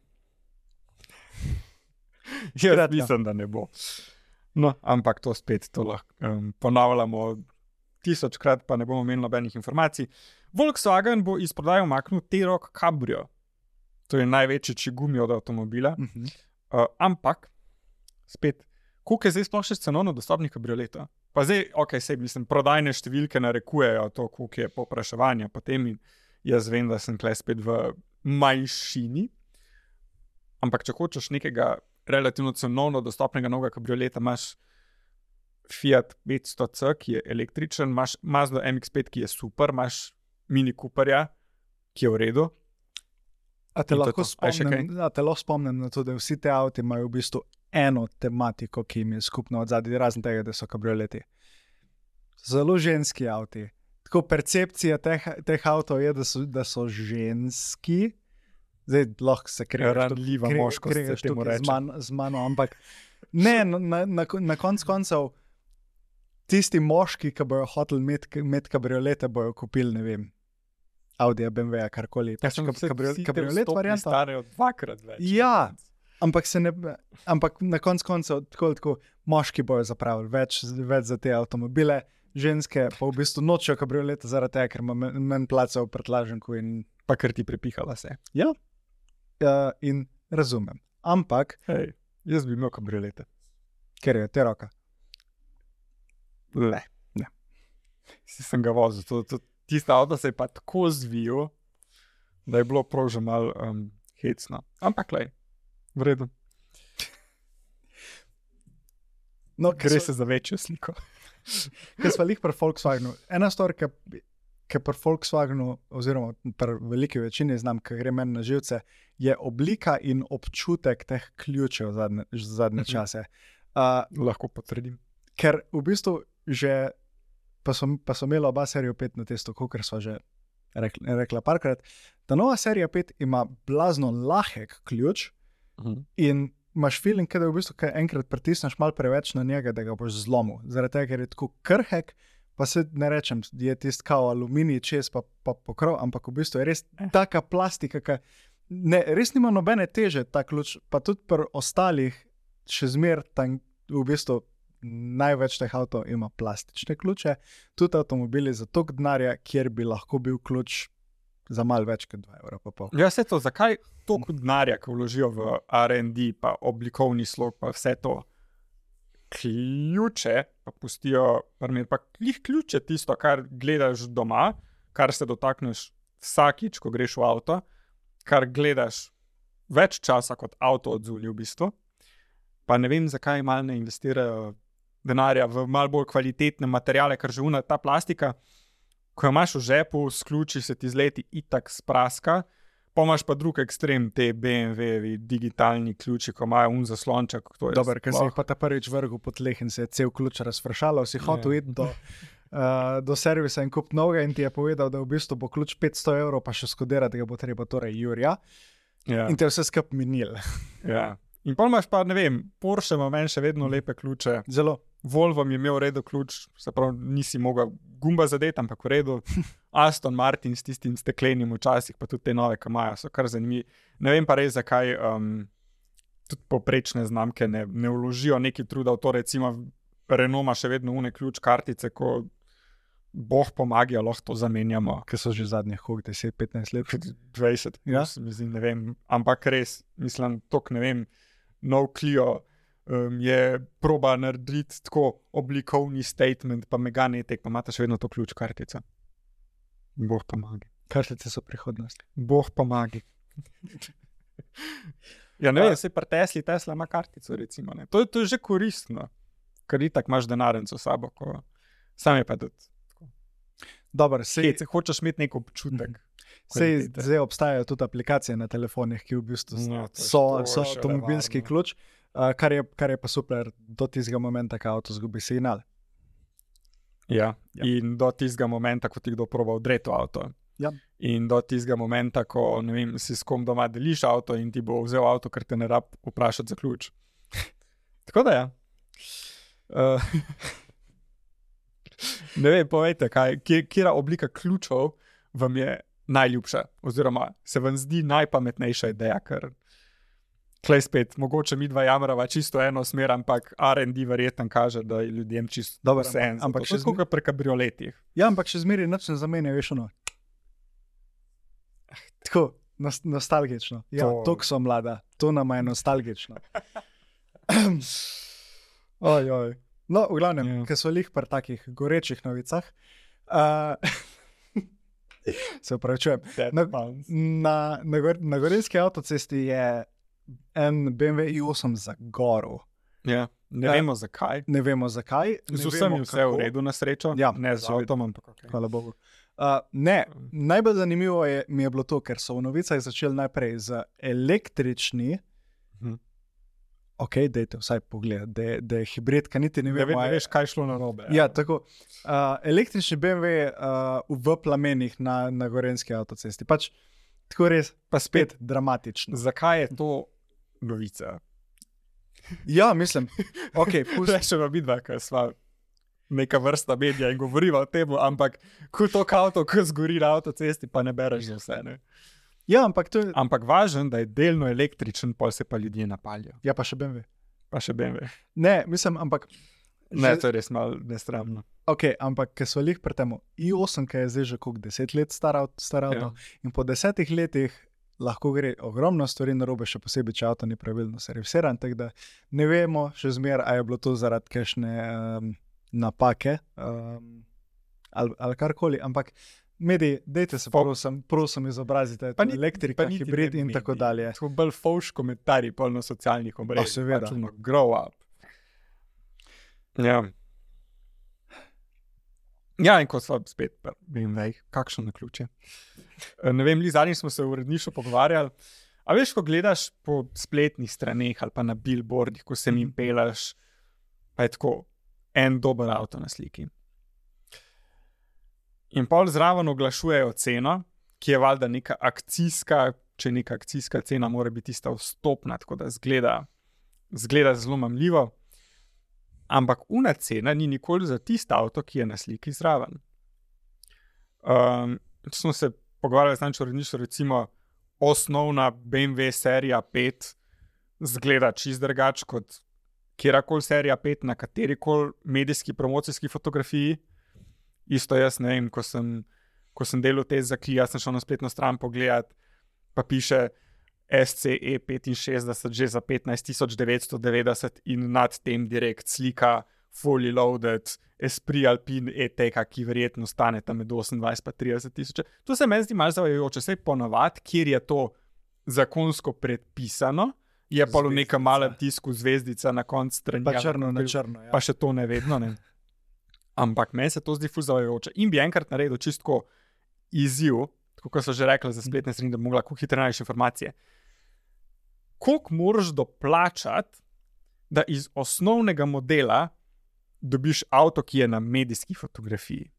Jaz mislim, da ne bo. No, ampak to spet to lahko ponavljamo 1000krat, pa ne bomo imeli nobenih informacij. Volkswagen bo iz prodaje umaknil T-Roc Cabrio. To je največji čigumi od avtomobila. Ampak, spet, koliko je zdaj sploh še cenovno dostopnih kabrioletov? Pa zdaj, mislim, prodajne številke narekujejo to, koliko je povpraševanja potem in jaz vem, da sem tukaj spet v manjšini. Ampak če hočeš nekega relativno cenovno dostopnega novega kabrioleta, imaš Fiat 500C, ki je električen, imaš Mazda MX-5, ki je super, imaš Mini Cooperja, ki je v redu. A te lahko spomnim na to, da vsi te avti imajo v bistvu eno tematiko, ki jim je skupno od zadnji, razen tega, da so kabrioleti. Zelo ženski avti. Tako percepcija teh avtov je, da so ženski. Zdaj lahko se ranljiva moškost, se temu reče. Z mano, ampak ne, na koncu tisti moški, ki bojo hoteli imeti kabriolete, bojo kupili, ne vem, Audija, BMW-ja, karkoli. Kabriolet varianta. Starejo 2x več. Ja, ampak na koncu tako moški bojo zapravili več za te avtomobile, ženske pa v bistvu nočejo kabrioleta zaradi tega, ker ima manj placa v prtlaženku in pa ker ti prepihala se. Ja, in razumem. Ampak jaz bi imel kabriolete. Ker je T-Roca. Ne. Sem ga vozil. Tista avto se je pa tako zvijal, da je bilo prav že malo hecno. Ampak v redu. No, gre se za večjo sliko. Ker smo lih pri Volkswagenu. Ena stvar, ki pri Volkswagenu, oziroma pri veliki večini znam, ki gre meni na živce, je oblika in občutek teh ključev zadnje čase. Lahko potrdim. Ker v bistvu že pa so imela oba serija 5 na testu, kakor sva že rekla parkrat. Ta nova serija 5 ima blazno lahek ključ in imaš feeling, da v bistvu, kaj enkrat pritisneš malo preveč na njega, da ga boš zlomil. Zaradi tega, ker je tako krhek, pa se ne rečem, je tisti kao aluminij čez pa pokrov, ampak v bistvu je res taka plastika, res nima nobene teže ta ključ, pa tudi pri ostalih še zmer tam v bistvu največ teh avtov ima plastične ključe, tudi avtomobili za toliko denarja, kjer bi lahko bil ključ za malo več kot 2,5 €. Ja, vse to, zakaj toliko denarja, ko vložijo v R&D, pa oblikovni slog, pa vse to ključe, pa pustijo, pa ključe tisto, kar gledaš doma, kar se dotakneš vsakič, ko greš v avto, kar gledaš več časa kot avto odzunaj v bistvu, pa ne vem, zakaj malo ne investirajo denarja v malo bolj kvalitetne materiale, ker že ta plastika, ko jo imaš v žepu, s ključi se ti zleti itak spraska, pa imaš pa drug ekstrem, te BMW-jevi digitalni ključi, ko imajo zaslonček. Dober, ker si jih pa ta prvič vrgel po tleh in se je cel ključ razfršalo, si hotel iti do servisa in kup novega in ti je povedal, da v bistvu bo ključ 500 €, pa še skodirati ga bo treba, torej Jurja. Ja. In te vse skup minil. Ja. In pol imaš pa, ne vem, Porsche ima meni še vedno lepe ključe. Zelo. Volvo mi je imel v redu ključ, se pravi, nisi mogel gumba zadeti, ampak v redu. Aston Martin s tistim steklenim včasih, pa tudi te nove, ki imajo, so kar zanimivi. Ne vem pa res, zakaj tudi poprečne znamke ne vložijo neki truda v to, recimo Renault ima še vedno une ključ kartice, ko boh pomaga, lahko to zamenjamo. Ker so že zadnjih 10-15 let. 20, ja? Mislim, ne vem, ampak res, mislim, tok ne vem, nov Clio, je proba narediti tako oblikovni statement, pa mega netek, pa imate še vedno to ključ kartico. Bog pomagi. Kartice so prihodnost. Bog pomagi. Ja, ne vem, se pri Tesla ima kartico, recimo. Ne. To je že koristno, ker itak imaš denarnico s sabo, ko sam je pa tudi. Dobar, Če hočeš imeti nek občutek. Zdaj obstajajo tudi aplikacije na telefonih, ki v bistvu so avtomobilski ključ, kar je pa super do tistega momenta, ko avto zgubi signal. Ja, in do tistega momenta, ko ti kdo proba odreti avto. Ja. In do tistega momenta, ko ne vem, si s kom doma deliš avto in ti bo vzel avto, ker te ne rab vprašati za ključ. Tako da ja. Ne vem, povejte, kjera oblika ključov vam je najljubša, oziroma se vam zdi najpametnejša ideja, ker klej spet, mogoče mi dva jamrava čisto eno smer, ampak R&D verjetno kaže, da je ljudem čisto vse en. Ampak še skupaj pri kabrioletih. Ja, ampak še zmeri nič ne zamenja, veš ono. Tako, nostalgično. Ja, tok so mlada, to nama je nostalgično. Oj. No, v glavnem, ker so lih pri takih gorečih novicah, se upravičujem. Na gorenjski avtocesti je en BMW i8 zagorel. Ja, ne vemo zakaj. Ne vemo zakaj. Z vsemi vse v redu na srečo. Ja, ne z avtom, ampak ok. Hvala Bogu. Najbolj zanimivo mi je bilo to, ker so v novicah začeli najprej z električni. Ok, dajte vsaj pogled, da je hibrid, kaj niti ne vemo. Ne veš, kaj šlo narobe. Ja, tako. Električni BMW v plamenih na gorenjski avtocesti. Pač tako res, pa spet dramatično. Zakaj je to novica? Ja, mislim. Ok, Rečeva vidva, ker sva neka vrsta medija in govoriva o tem, ampak ko to avto, ko zgori na avtocesti, pa ne bereš za vse, ne? Ja, ampak to je... Ampak važen, da je delno električen, pol se pa ljudje napaljajo. Ja, pa še BMW. Ne, mislim, ampak... Ne, to je res malo nesramno. Ok, ampak, ker so lih pri temu, i8, ki je zdaj že koliko 10 let star avto, in po 10 letih lahko gre ogromno stvari narobe, še posebej, če avto ni pravilno servisiran, tako da ne vemo še zmer, a je bilo to zaradi kakšne napake ali karkoli, ampak mediji, dejte se prosim izobrazite, elektrika, hibrid in tako dalje. To bolj fovš komentarji pol na socialnih omrežjih. Seveda. Grow up. Ja. Ja, in ko sva spet, vem, kakšno naključje. Ne vem, zadnjič smo se v uredništvu pogovarjali, a veš, ko gledaš po spletnih straneh ali pa na billboardih, ko se jim pelaš, pa je tako en dober avto na sliki. In pol zraven oglašujejo ceno, ki je valjda neka akcijska, če neka akcijska cena mora biti tista vstopna, tako da zgleda zelo mamljivo. Ampak una cena ni nikoli za tisto avto, ki je na sliki zraven. Če smo se pogovarjali z uredništvom, recimo osnovna BMW serija 5 zgleda čist drugače kot kjerakoli serija 5 na katerikoli medijski promocijski fotografiji. Isto jaz, ne vem, ko sem delal te za Kia, sem šel na spletno stran pogledat, pa piše SCE 65 že za 15.990 in nad tem direkt slika fully loaded Esprit Alpine E-Tech, ki verjetno stane tam med 28 pa 30 tisoč. To se meni zdi malo zavajajoče, saj ponavadi, kjer je to zakonsko predpisano, je pa v nekem malem tisku zvezdica na koncu strani. Pa črno na črno, ja. Pa še to ne vedno, ne. Ampak meni se to zdi ful zavajajoče. In bi enkrat naredil čistko izziv, tako kot so že rekli za spletne strani, da bi mogla hitro najti informacije. Koliko moraš doplačati, da iz osnovnega modela dobiš avto, ki je na medijski fotografiji?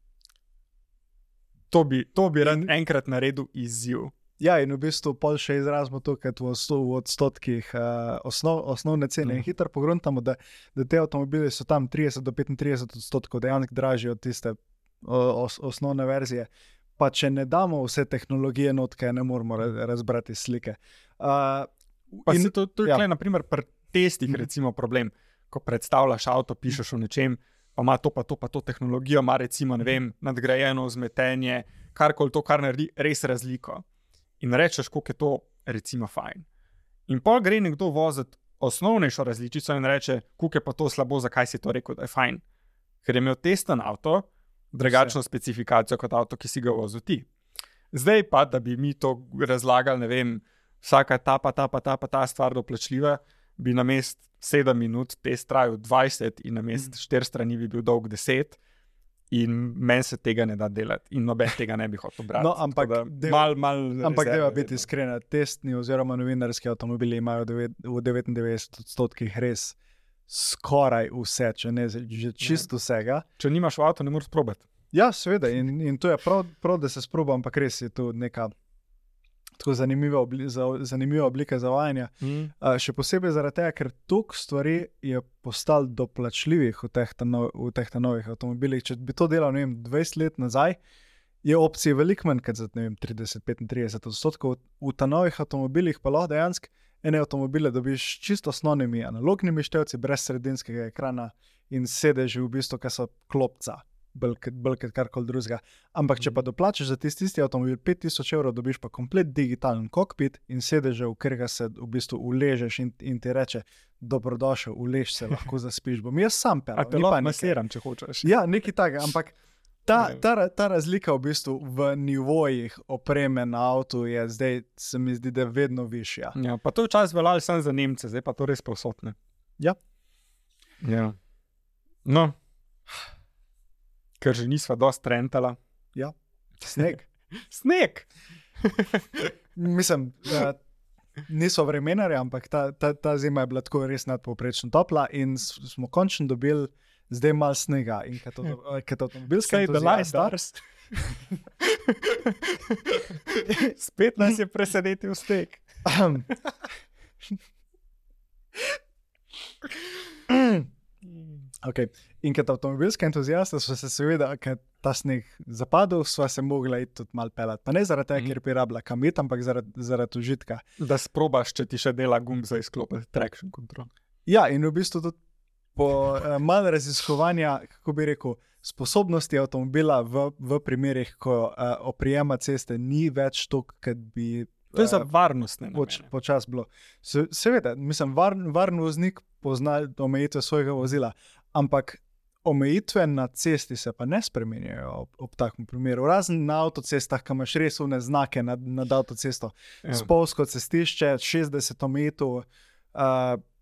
To bi rad enkrat naredil izziv. Ja, in v bistvu pol še izrazimo to, ker v odstotkih osnovne cene in hitro pogruntamo, da te avtomobili so tam 30 do 35% dejansko dražji od tiste osnovne verzije. Pa če ne damo vse tehnologije notke, ne moramo razbrati slike. Pa se to je tukaj, naprimer, pri testih recimo problem, ko predstavljaš avto, pišeš o nečem, pa ima to pa to tehnologijo, ima recimo, ne vem, nadgrajeno vzmetenje, karkoli to, kar naredi res razliko. In rečeš, koliko je to recimo fajn. In pol gre nekdo voziti osnovnejšo različico in reče, kuk je pa to slabo, zakaj si to rekel, da je fajn. Ker je imel testen avto, drugačno specifikacijo kot avto, ki si ga vozil ti. Zdaj pa, da bi mi to razlagali, ne vem, vsaka ta stvar doplačljiva, bi namest 7 minut test trajal 20 in namest 4 strani bi bil dolg 10 in meni se tega ne da delati in noben tega ne bi hotel brati. No, ampak deva biti iskrena, testni oziroma novinarski avtomobili imajo v 99% res skoraj vse, če ne že čisto vsega. Če nimaš v avto, ne moreš probati. Ja, seveda, in to je prav, da se sproba, ampak res je to neka tako zanimiva oblika zavajanja. Še posebej zaradi tega, ker toliko stvari je postalo doplačljivih v teh novih avtomobilih. Če bi to delal, ne vem, 20 let nazaj, je opcij veliko manj, kot za, ne vem, 30-35%. V ta novih avtomobilih pa lahko dejansko ene avtomobile dobiš čisto osnovnimi analognimi števci, brez sredinskega ekrana in sedeži v bistvu, ki so klopca, bolj kot karkoli drugega. Ampak če pa doplačaš za tisti avtomobil 5000 evrov, dobiš pa komplet digitalen kokpit in sedeže, v katerega se v bistvu uležeš in ti reče, dobrodošel, ulež se, lahko zaspiš. Bom jaz sam pelal. A te lahko masiram, če hočeš. Ja, nekaj takega, ampak ta razlika v bistvu v nivojih opreme na avtu je zdaj, se mi zdi, da je vedno višja. Ja, pa to včasih veljalo samo za Nemce, zdaj pa to res povsod, ne? Ja. No, ker že nisva dosti trentala. Ja, sneg. Sneg! Mislim, niso vremenarji, ampak ta zima je bila tako res nadpovprečno topla in smo končno dobili zdaj malo snega. In kot avtomobilska entuzijasta... Spet nas je presenetil sneg. Okay. In kot avtomobilska entuzijasta so se seveda, ker ta sneg zapadel, sva se mogla iti tudi malo pelati. Pa ne zaradi tega, ker bi rabila kam iti, ampak zaradi užitka. Da sprobaš, če ti še dela gumb za izklopiti traction control. Ja, in v bistvu tudi po malo raziskovanja, kako bi rekel, sposobnosti avtomobila v primerih, ko oprijema ceste ni več toliko, kot bi... To je za varnostne namene. Počas bilo. Seveda, mislim, varen voznik pozna omejitve svojega vozila, ampak omejitve na cesti se pa ne spremenjajo ob takem primeru. Razen na avtocestah, ki imaš res une znake nad avtocesto. Spolsko cestišče, 60 omejitev,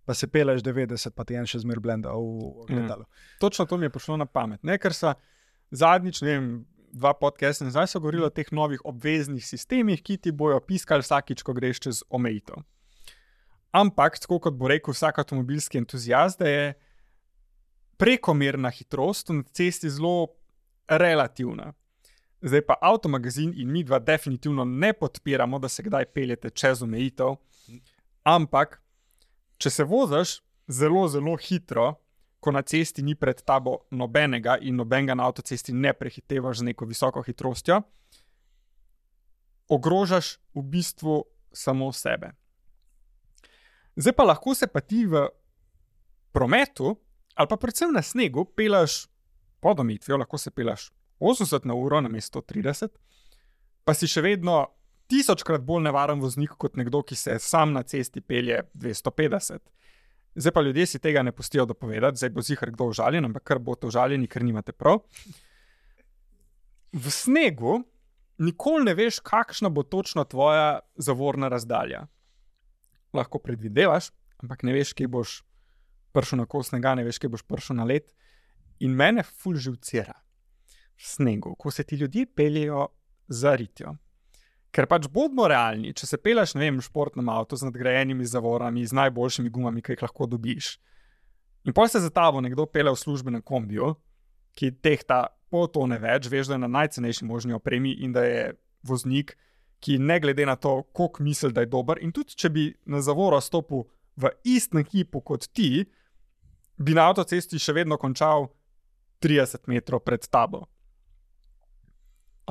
pa se peleš 90, pa ti en še zmer blenda v gledalu. Točno to mi je prišlo na pamet. Ne, ker so zadnjič, ne vem, 2 podcasta nazaj so govorili o teh novih obveznih sistemih, ki ti bojo piskali vsakič, ko greš čez omejitev. Ampak, tako kot bo rekel vsak avtomobilski entuzijast, da je prekomerna hitrost na cesti zelo relativna. Zdaj pa Avtomagazin in mi dva definitivno ne podpiramo, da se kdaj peljete čez omejitev, ampak če se voziš zelo, zelo hitro, ko na cesti ni pred tabo nobenega in nobenega na avtocesti ne prehitevaš z neko visoko hitrostjo, ogrožaš v bistvu samo sebe. Zdaj pa lahko se pa ti v prometu ali pa predvsem na snegu pelaš pod omejitvijo, lahko se pelaš 80 na uro namesto 30, pa si še vedno 1000-krat bolj nevaren voznik kot nekdo, ki se sam na cesti pelje 250. Zdaj pa ljudje si tega ne pustijo dopovedati, zdaj bo zihar kdo užaljen, ampak kar boste užaljeni, ker nimate prav. V snegu nikoli ne veš, kakšna bo točno tvoja zavorna razdalja. Lahko predvidevaš, ampak ne veš, kje boš prišel na kos snega, ne veš, kje boš prišel na led. In mene ful živcira v snegu, ko se ti ljudje peljejo za ritjo. Ker pač bodimo realni, če se peleš, ne vem, v športnem avtu z nadgrajenimi zavorami, z najboljšimi gumami, ki jih lahko dobiš. In potem se za tabo nekdo pelje v službenem kombiju, ki tehta pol tone več, veš, da je na najcenejši možni opremi in da je voznik, ki ne glede na to, koliko misli, da je dober. In tudi, če bi na zavoro stopil v istem hipu kot ti, bi na avtocesti še vedno končal 30 metrov pred tabo.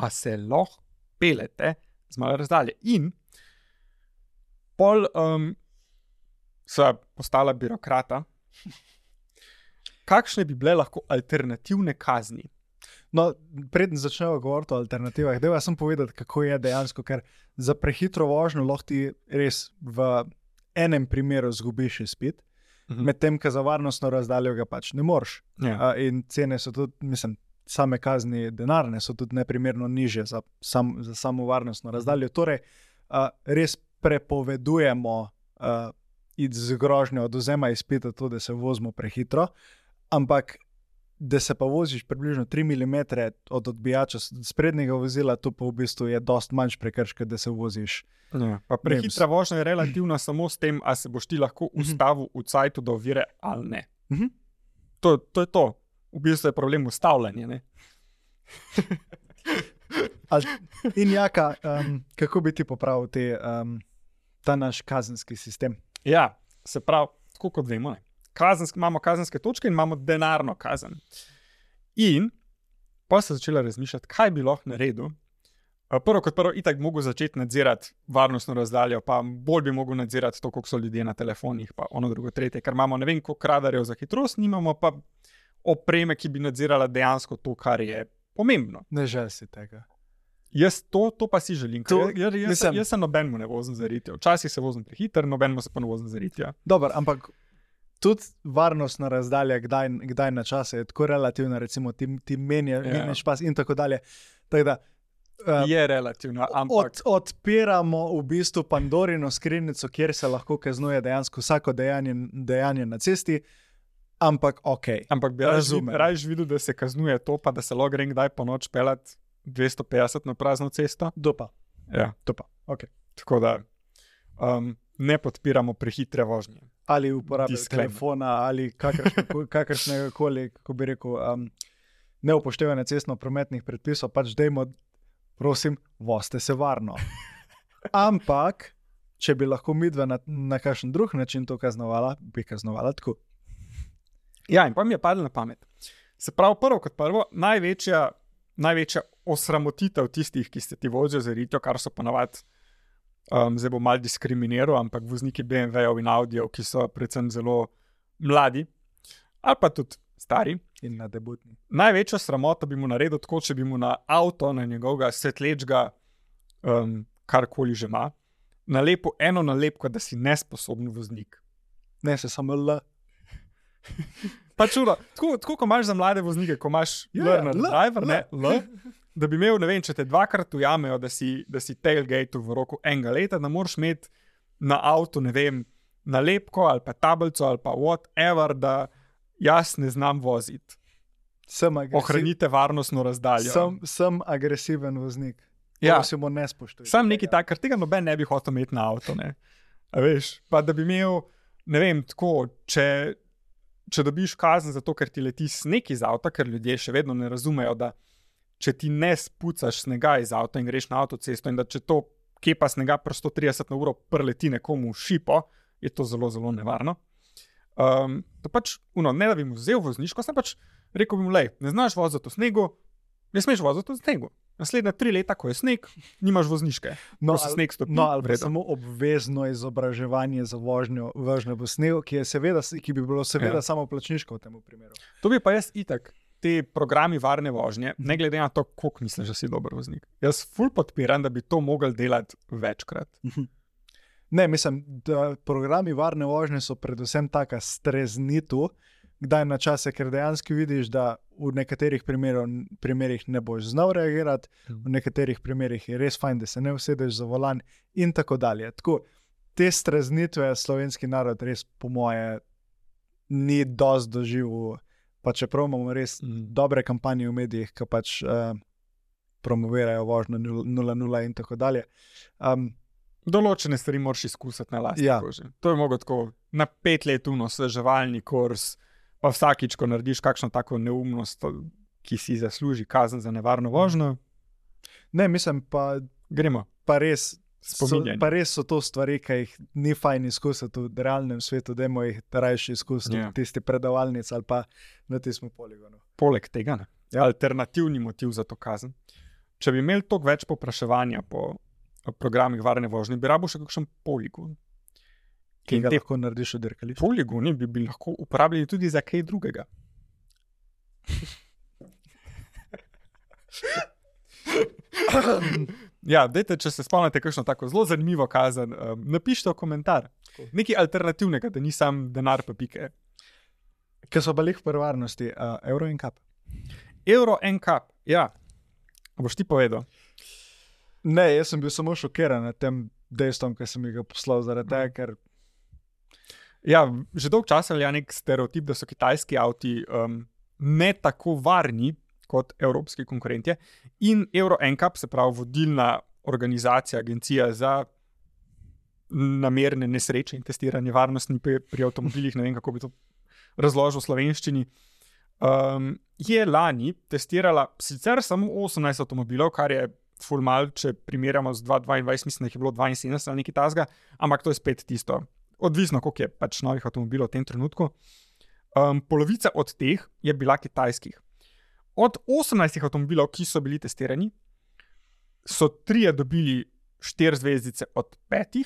A se lahko pelete z malo razdalje. In pol sva postala birokrata. Kakšne bi bile lahko alternativne kazni? No, preden začnemo govoriti o alternativah, jaz sem povedati, kako je dejansko, ker za prehitro vožnjo lahko ti res v enem primeru zgubiš izpit, medtem ko za varnostno razdaljo ga pač ne moreš. Ja. In cene so tudi, mislim, same kazni denarne so tudi neprimerno nižje za samo varnostno razdaljo. Torej, res prepovedujemo z grožnjo odvzema izpita to, da se vozimo prehitro, ampak da se pa voziš približno 3 mm od odbijača sprednjega vozila, to pa v bistvu je dost manjš prekršek, da se voziš. Ja. Pa prehitra vožnja je relativna samo s tem, a se boš ti lahko ustavil v cajtu do ovire ali ne. To je to. V bistvu je problem ustavljanja, ne? In Jaka, kako bi ti popravil ta naš kazenski sistem? Ja, se pravi, tako kot vemo, ne? Imamo kazenske točke in imamo denarno kazen. In pa se začela razmišljati, kaj bi lahko naredil. Prvo kot prvo, itak bi mogel začeti nadzirati varnostno razdaljo, pa bolj bi mogel nadzirati to, koliko so ljudje na telefonih, pa ono drugo, tretje, ker imamo ne vem koliko radarjev za hitrost, nimamo pa opreme, ki bi nadzirala dejansko to, kar je pomembno. Ne žel si tega. Jaz to pa si želim. Jaz se nobenemu ne vozim za ritjo. Včasih se vozim prehiter, nobenemu se pa ne vozim za ritjo. Dobro, ampak tudi varnostna razdalja, kdaj na čase je tako relativna, recimo ti menjaš pas in tako dalje. Tako da, je relativno, ampak odpiramo v bistvu Pandorino skrinjico, kjer se lahko kaznuje dejansko vsako dejanje na cesti, ampak ok. Ampak bi raje videl, da se kaznuje to, pa da se lahko grem kdaj po noč pelat 250 na prazno cesto. Dopa. Ja. Dopa, ok. Tako da ne podpiramo prehitre vožnje. Ali uporabe telefona, ali kakršnega koli, kako bi rekel, neupoštevanje cestno-prometnih predpisov, pač dajmo, prosim, vozite se varno. Ampak, če bi lahko midva na kakšen drug način to kaznovala, bi kaznovala tako. Ja, in pa mi je padlo na pamet. Se pravi, prvo kot prvo, največja osramotitev tistih, ki ste ti vozijo za ritjo, kar so ponavadi, zdaj bo malo diskriminiral, ampak vozniki BMW-jev in Audijev, ki so predvsem zelo mladi, ali pa tudi stari. In na debutni. Največjo sramoto bi mu naredil tako, če bi mu na avto, na njegovega svetlečga, karkoli že ima, nalepil eno nalepko, da si nesposoben voznik. Ne, se samo L. Pa čudo, tako ko imaš za mlade voznike, ko imaš learner driver, ne, L, da bi imel, ne vem, če te dvakrat ujamejo, da si tailgate v roku enega leta, da moraš imeti na avtu, ne vem, nalepko ali pa tablico ali pa whatever, da jaz ne znam voziti. Ohranite varnostno razdaljo. Sem agresiven voznik. Ja. Prosimo, ne spoštuj. Sam nekaj tak, ker tega noben ne bi hotel imeti na avto, ne. A veš, pa da bi imel, ne vem, tako, če dobiš kazen za to, ker ti leti sneg iz avta, ker ljudje še vedno ne razumejo, da če ti ne spucaš snega iz avta in greš na avtocesto in da če to kepa snega pri 130 na uro preleti nekomu v šipo, je to zelo, zelo nevarno. To pač, ne da bi mu vzel vozniško, sem pač rekel bi mu, lej, ne znaš voziti v snegu, ne smeš voziti v snegu. Naslednja 3 leta, ko je sneg, nimaš vozniške. Sneg stopi. Ali pa samo obvezno izobraževanje za vožnjo v snegu, ki bi bilo seveda samo plačniško v tem primeru. To bi pa jaz itak, te programi varne vožnje, ne glede na to, koliko misliš, da si dober voznik. Jaz ful podpiram, da bi to mogli delati večkrat. Ne, mislim, da programi varne vožnje so predvsem taka streznitev, kdaj na čase, ker dejansko vidiš, da v nekaterih primerih ne boš znal reagirati, v nekaterih primerih je res fajn, da se ne usedeš za volan in tako dalje. Tako, te streznitve slovenski narod res po moje ni dosti doživel, pa čeprav imamo res dobre kampanje v medijih, ki pač promovirajo vožnjo 0-0 in tako dalje. Določene stvari moraš izkusiti na lastni koži. To je mogoče tako na 5 let osveževalni kurs, pa vsakič, ko narediš kakšno tako neumnost, ki si zasluži kazen za nevarno vožnjo. Ne, mislim pa, gremo. Pa res so to stvari, ki jih ni fajn izkusiti v realnem svetu, dajmo jih rajši izkusiti v tisti predavalnici ali pa na tistem poligonu. Poleg tega, ne? Alternativni motiv za to kazen. Če bi imeli toliko več povpraševanja po programih varne vožnje, bi rabo še kakšen poligon. Ki ga lahko narediš v dirkališču. Poligoni bi lahko uporabljali tudi za kaj drugega. Ja, dajte, če se spomnite kakšno tako zelo zanimivo kazen, napišite v komentar. Nekaj alternativnega, da ni sam denar pa pike. Ker so bili v prvarnosti, Euro in Cup. Euro NCAP, ja. Boš ti povedal? Ne, jaz sem bil samo šokiran nad tem dejstvom, ki sem ga poslal zaradi tega, ker Ja, že dolgo časa velja nek stereotip, da so kitajski avti ne tako varni kot evropski konkurentje. In Euro NCAP, se pravi vodilna organizacija, agencija za namerne nesreče in testiranje varnosti pri avtomobilih, ne vem, kako bi to razložil v slovenščini, je lani testirala sicer samo 18 avtomobilov, kar je ful mal, če primerjamo z 2022, mislim, da jih je bilo 72 ali nekaj tasga, ampak to je spet tisto. Odvisno, koliko je pač novih avtomobilov v tem trenutku. Polovica od teh je bila kitajskih. Od 18 avtomobilov, ki so bili testirani, so 3 dobili 4 zvezdice od 5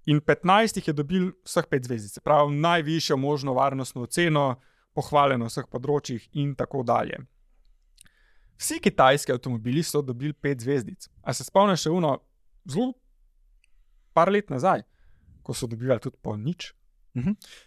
in 15 je dobil vseh 5 zvezdice. Prav najvišjo možno varnostno oceno, pohvaljeno v vseh področjih in tako dalje. Vsi kitajski avtomobili so dobili 5 zvezdic. A se spomniš še zelo par let nazaj, ko so dobivali tudi po nič?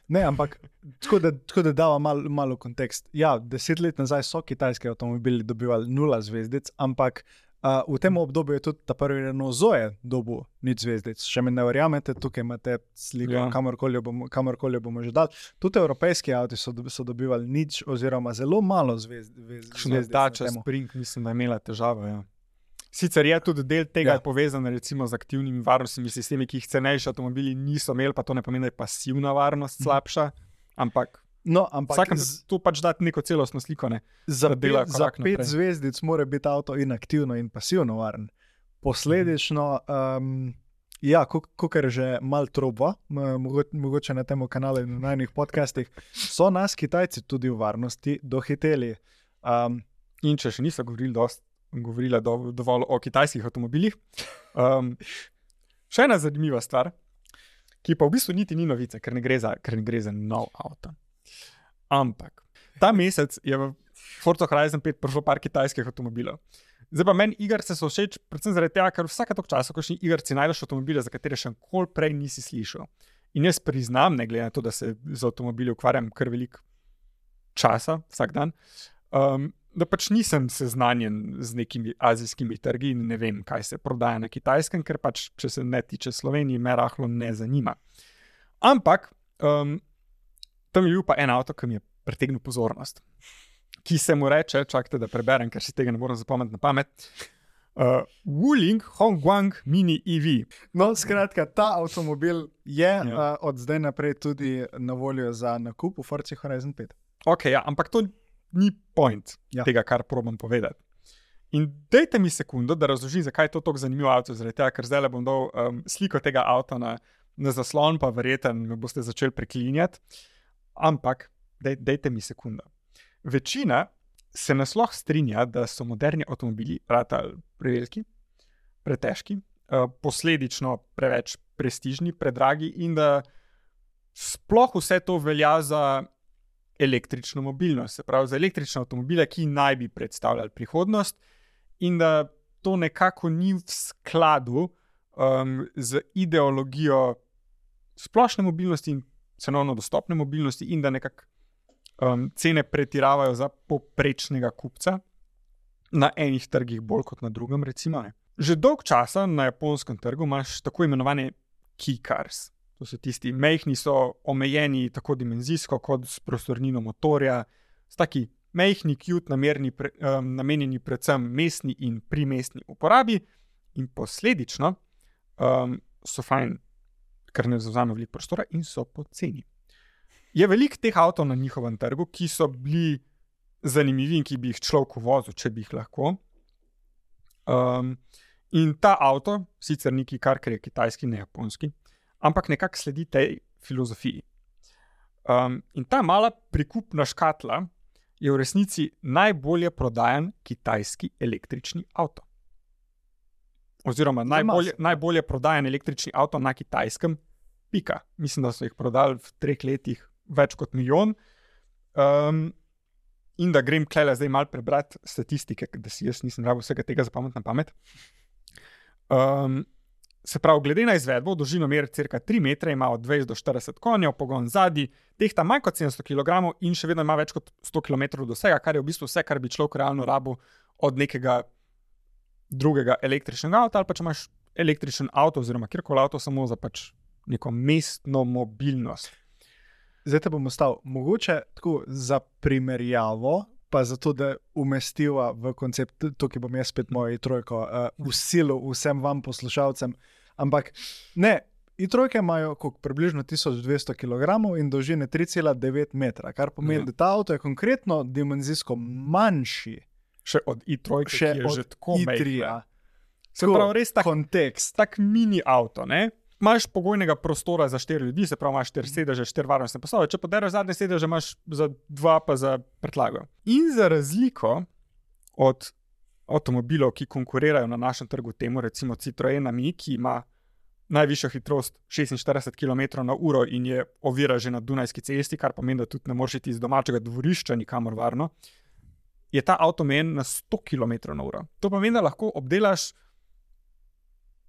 Ne, ampak tako da dava malo kontekst. Ja, 10 let nazaj so kitajski avtomobili dobivali 0 zvezdic, ampak v tem obdobju je tudi ta prvi Renault Zoe dobil 0 zvezdic. Še mi ne verjamete, tukaj imate sliko, kamorkoli bomo že dali. Tudi evropejski avti so dobivali 0 oziroma zelo malo zvezdic. Dacia Spring, mislim, da je imela težavo, ja. Sicer je tudi del tega povezan recimo z aktivnimi varnostnimi sistemi, ki jih cenejši avtomobili niso imeli, pa to ne pomeni, da je pasivna varnost slabša, ampak vsakem to pač dati neko celostno sliko, ne? Za 5 zvezdic mora biti avto in aktivno in pasivno varen. Posledično, kakor že mal troba, mogoče na tem kanalu in na najnih podcastih, so nas Kitajci tudi v varnosti dohiteli. In če še niso govorila dovolj o kitajskih avtomobilih. Še ena zanimiva stvar, ki pa v bistvu niti ni novica, ker ne gre za nov avto. Ampak ta mesec je v Forza Horizon 5 prišlo par kitajskih avtomobilov. Zdaj pa meni igrice so všeč, predvsem zaradi tega, ker vsake toliko časa, ko še igrici najdeš avtomobile, za katere še nikoli prej nisi slišal. In jaz priznam, ne glede na to, da se z avtomobili ukvarjam kar veliko časa, vsak dan, da pač nisem seznanjen z nekimi azijskimi trgi in ne vem, kaj se prodaja na Kitajskem, ker pač, če se ne tiče Slovenije, me rahlo ne zanima. Ampak tam je bil pa en avto, ki mi je pritegnil pozornost, ki se mu reče, čakajte, da preberem, ker si tega ne moram zapomniti na pamet, Wuling Hongguang Mini EV. No, skratka, ta avtomobil je od zdaj naprej tudi na voljo za nakup v Forza Horizon 5. Ok, ja, ampak to ni point tega, kar probam povedati. In dajte mi sekundo, da razložim, zakaj je to tako zanimivo avto, zaradi tega, ker zdaj bom dal sliko tega avta na zaslon, pa verjetno me boste začeli preklinjati. Ampak, dajte mi sekundo. Večina se nasloh strinja, da so moderni avtomobili ratali preveliki, pretežki, posledično preveč prestižni, predragi in da sploh vse to velja za električno mobilnost, se pravi za električne avtomobile, ki naj bi predstavljali prihodnost in da to nekako ni v skladu z ideologijo splošne mobilnosti in cenovno dostopne mobilnosti in da nekako cene pretiravajo za povprečnega kupca na enih trgih bolj kot na drugem, recimo. Že dolg časa na japonskem trgu imaš tako imenovane key cars. To so tisti majhni, so omejeni tako dimenzijsko kot s prostornino motorja, s taki majhni, cute, namenjeni predvsem mestni in primestni uporabi in posledično so fajn, ker ne zavzame veliko prostora in so poceni. Je veliko teh avtov na njihovem trgu, ki so bili zanimivi in ki bi jih človek vozil, če bi jih lahko. In ta avto, sicer neki kar, ker je kitajski, ne japonski, ampak nekako sledi tej filozofiji. In ta mala prikupna škatla je v resnici najbolje prodajan kitajski električni avto. Oziroma najbolje prodajan električni avto na Kitajskem, pika. Mislim, da so jih prodali v 3 letih več kot 1 milijon. In da grem klele zdaj malo prebrati statistike, da si jaz nisem rabil vsega tega zapomniti na pamet. Se pravi, glede na izvedbo, dolžino mer cirka 3 metre, ima od 20 do 40 konjev, pogon zadnji, tehta manj kot 700 kg in še vedno ima več kot 100 km dosega, kar je v bistvu vse, kar bi človek realno rabil od nekega drugega električnega avta, ali pa če imaš električen avto oziroma kjerkoli avto samo za pač neko mestno mobilnost. Zdaj te bom ostal. Mogoče tako za primerjavo, pa zato, da umestiva v koncept, tukaj bom jaz spet mojo i3, v silu vsem vam poslušalcem, ampak ne, i3 imajo približno 1200 kg in dolžine 3,9 metra, kar pomeni, da ta avto je konkretno dimenzijsko manjši. Še od i3, ki je že tako i3. Se pravi, res tak kontekst. Tak mini avto, ne? Imaš pogojnega prostora za 4 ljudi, se pravi, imaš 4 sedeže, 4 varnostne pasove, če poderaš zadnje sedeže, imaš za 2 pa za prtljago. In za razliko od avtomobilov, ki konkurirajo na našem trgu temu, recimo Citroen Ami, ki ima najvišjo hitrost 46 km/h in je ovira že na Dunajski cesti, kar pomeni, da tudi ne moreš iti iz domačega dvorišča nikamor varno, je ta avto omejen na 100 km/h. To pomeni, da lahko obdelaš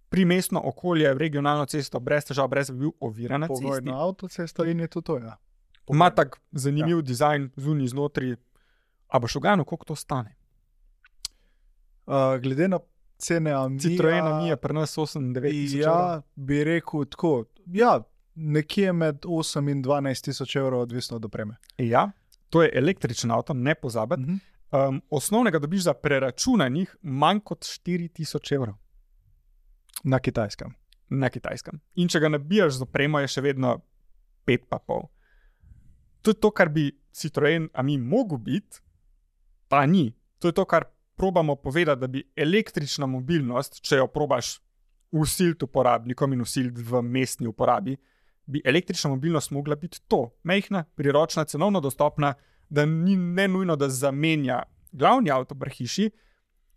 primestno okolje, regionalno cesto, brez težav, brez bi bil oviran na cesti. Pogojno avtocesto in je to, ja. Ima tak zanimiv dizajn zunaj, znotri. A boš uganil, koliko to stane? Glede na cene Amija... Citroen Ami je pri nas 8-9 tisoč evrov. Ja, bi rekel tako, ja, nekje med 8 in 12 tisoč evrov, odvisno od opreme. Ja, to je električen avto, ne pozabiti. Osnovnega dobiš za preračunanih manj kot 4 tisoč evrov. Na Kitajskem. Na Kitajskem. In če ga nabijaš z opremo, je še vedno 5,5. To je to, kar bi Citroen Ami mogel biti, pa ni. To je to, kar probamo povedati, da bi električna mobilnost, če jo probaš vsiliti uporabnikom in vsiliti v mestni uporabi, bi električna mobilnost mogla biti to. Majhna, priročna, cenovno dostopna, da ni ne nujno, da zamenja glavni avto pri hiši,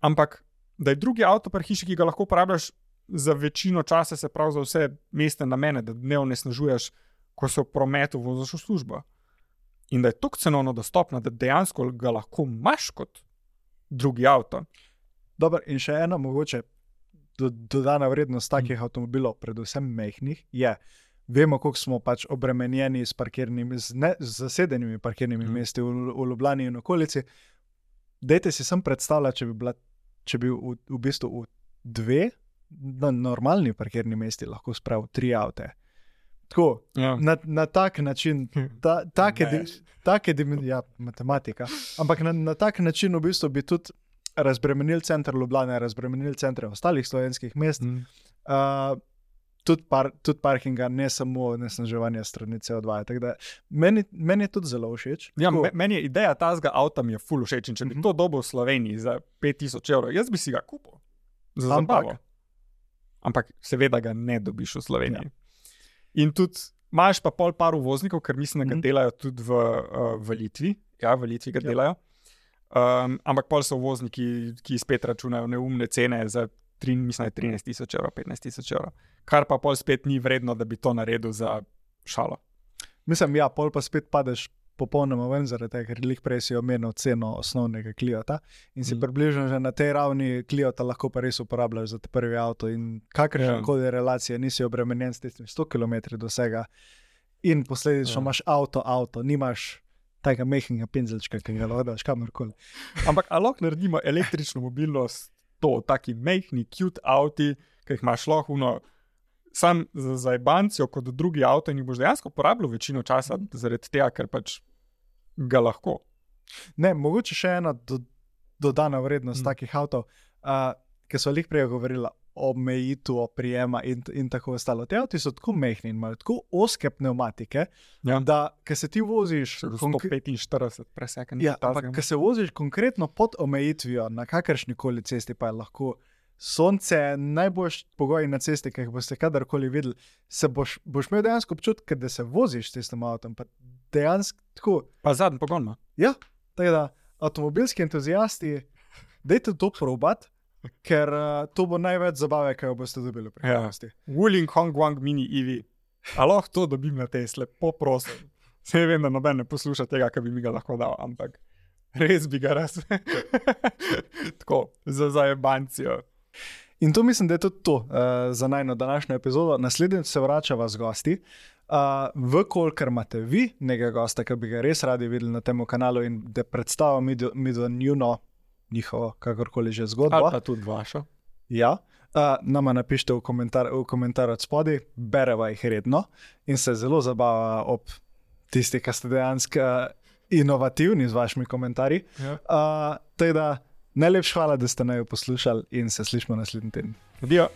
ampak da je drugi avto pri hiši, ki ga lahko uporabljaš za večino časa, se pravi za vse mestne namene, da ne onesnažuješ, ko se v prometu voziš v službo. In da je toliko cenovno dostopna, da dejansko ga lahko imaš kot drugi avto. Dobro, in še ena mogoče dodana vrednost takih avtomobilov, predvsem majhnih, je, vemo, koliko smo pač obremenjeni z zasedenimi parkirnimi mesti v Ljubljani in okolici. Dajte si sem predstavljati, če bi v bistvu v 2 na normalni parkirni mesti lahko spravil 3 avte. Tako, Ja. na tak način, ja, matematika, ampak na tak način v bistvu bi tudi razbremenil center Ljubljane, razbremenil centre ostalih slovenskih mest, tudi parkinga, ne samo onesnaževanja strani CO2. Tako da meni je tudi zelo všeč. Ja, meni je ideja tazga avta mi je ful všeč in če bi to dobil v Sloveniji za 5000 evrov, jaz bi si ga kupil. Za zabavo. Ampak seveda ga ne dobiš v Sloveniji. Ja. In tudi imaš pa par uvoznikov, ker mislim, da ga delajo tudi v Litvi. Ja, v Litvi ga delajo. Ampak pol so uvozniki, ki spet računajo neumne cene za 13 tisoč evrov, 15 tisoč evrov. Kar pa pol spet ni vredno, da bi to naredil za šalo. Mislim, ja, pol pa spet padeš popolnoma ven, zaradi tega, ker lih prej si omenil ceno osnovnega Cliota in si približno že na tej ravni Cliota lahko pa res uporabljaš za te prvi avto in kakršnekoli relacije, nisi obremenjen s tistim 100 km dosega in posledično imaš avto, nimaš tega mehkega penzelčka, ki ga lahko daš kamorkoli. Ampak a lahko naredimo električno mobilnost to, taki mehni, cute avti, ki jih imaš lahko sam za zajbancijo kot drugi avto in jih boš dejansko porabljal večino časa zaradi tega, ker pač ga lahko. Ne, mogoče še ena dodana vrednost takih avtov, ki so lih prej govorila o omejitvu oprijema in tako ostalo. Te avti so tako mehni in imajo tako ozke pneumatike, da ko se ti voziš 145 presekanje. Ja, ampak ko se voziš konkretno pod omejitvijo na kakršnikoli cesti, pa je lahko sonce, najboljši pogoji na cesti, ki jih boste kadarkoli videli, se boš imel dejansko občutek, da se voziš s tistim avtom, pa dejansko tako. Pa zadnji pogon ima. Ja, tako da avtomobilski entuzijasti, dajte to probati, ker to bo največ zabave, kaj jo boste dobili v prihodnosti. Ja. Wuling Hongguang Mini EV. A lahko to dobim na Tesla, poprosim. Se vem, da noben ne posluša tega, kar bi mi ga lahko dal, ampak res bi ga raz. Tako, za zajebancijo. In to mislim, da je tudi to za najno današnjo epizodo. Naslednjič se vračava z gosti. Vkolikor imate vi nekega gosta, ki bi ga res radi videli na tem kanalu in da predstavimo mi njihovo, kakorkoli že zgodbo. Ali pa tudi vašo. Ja, nama napišite v komentar od spodaj, bereva jih redno in se zelo zabava ob tisti, ki ste dejansko inovativni z vašimi komentarji. Ja. Teda, najlepša hvala, da ste naju poslušali in se slišimo naslednji teden. Adijo.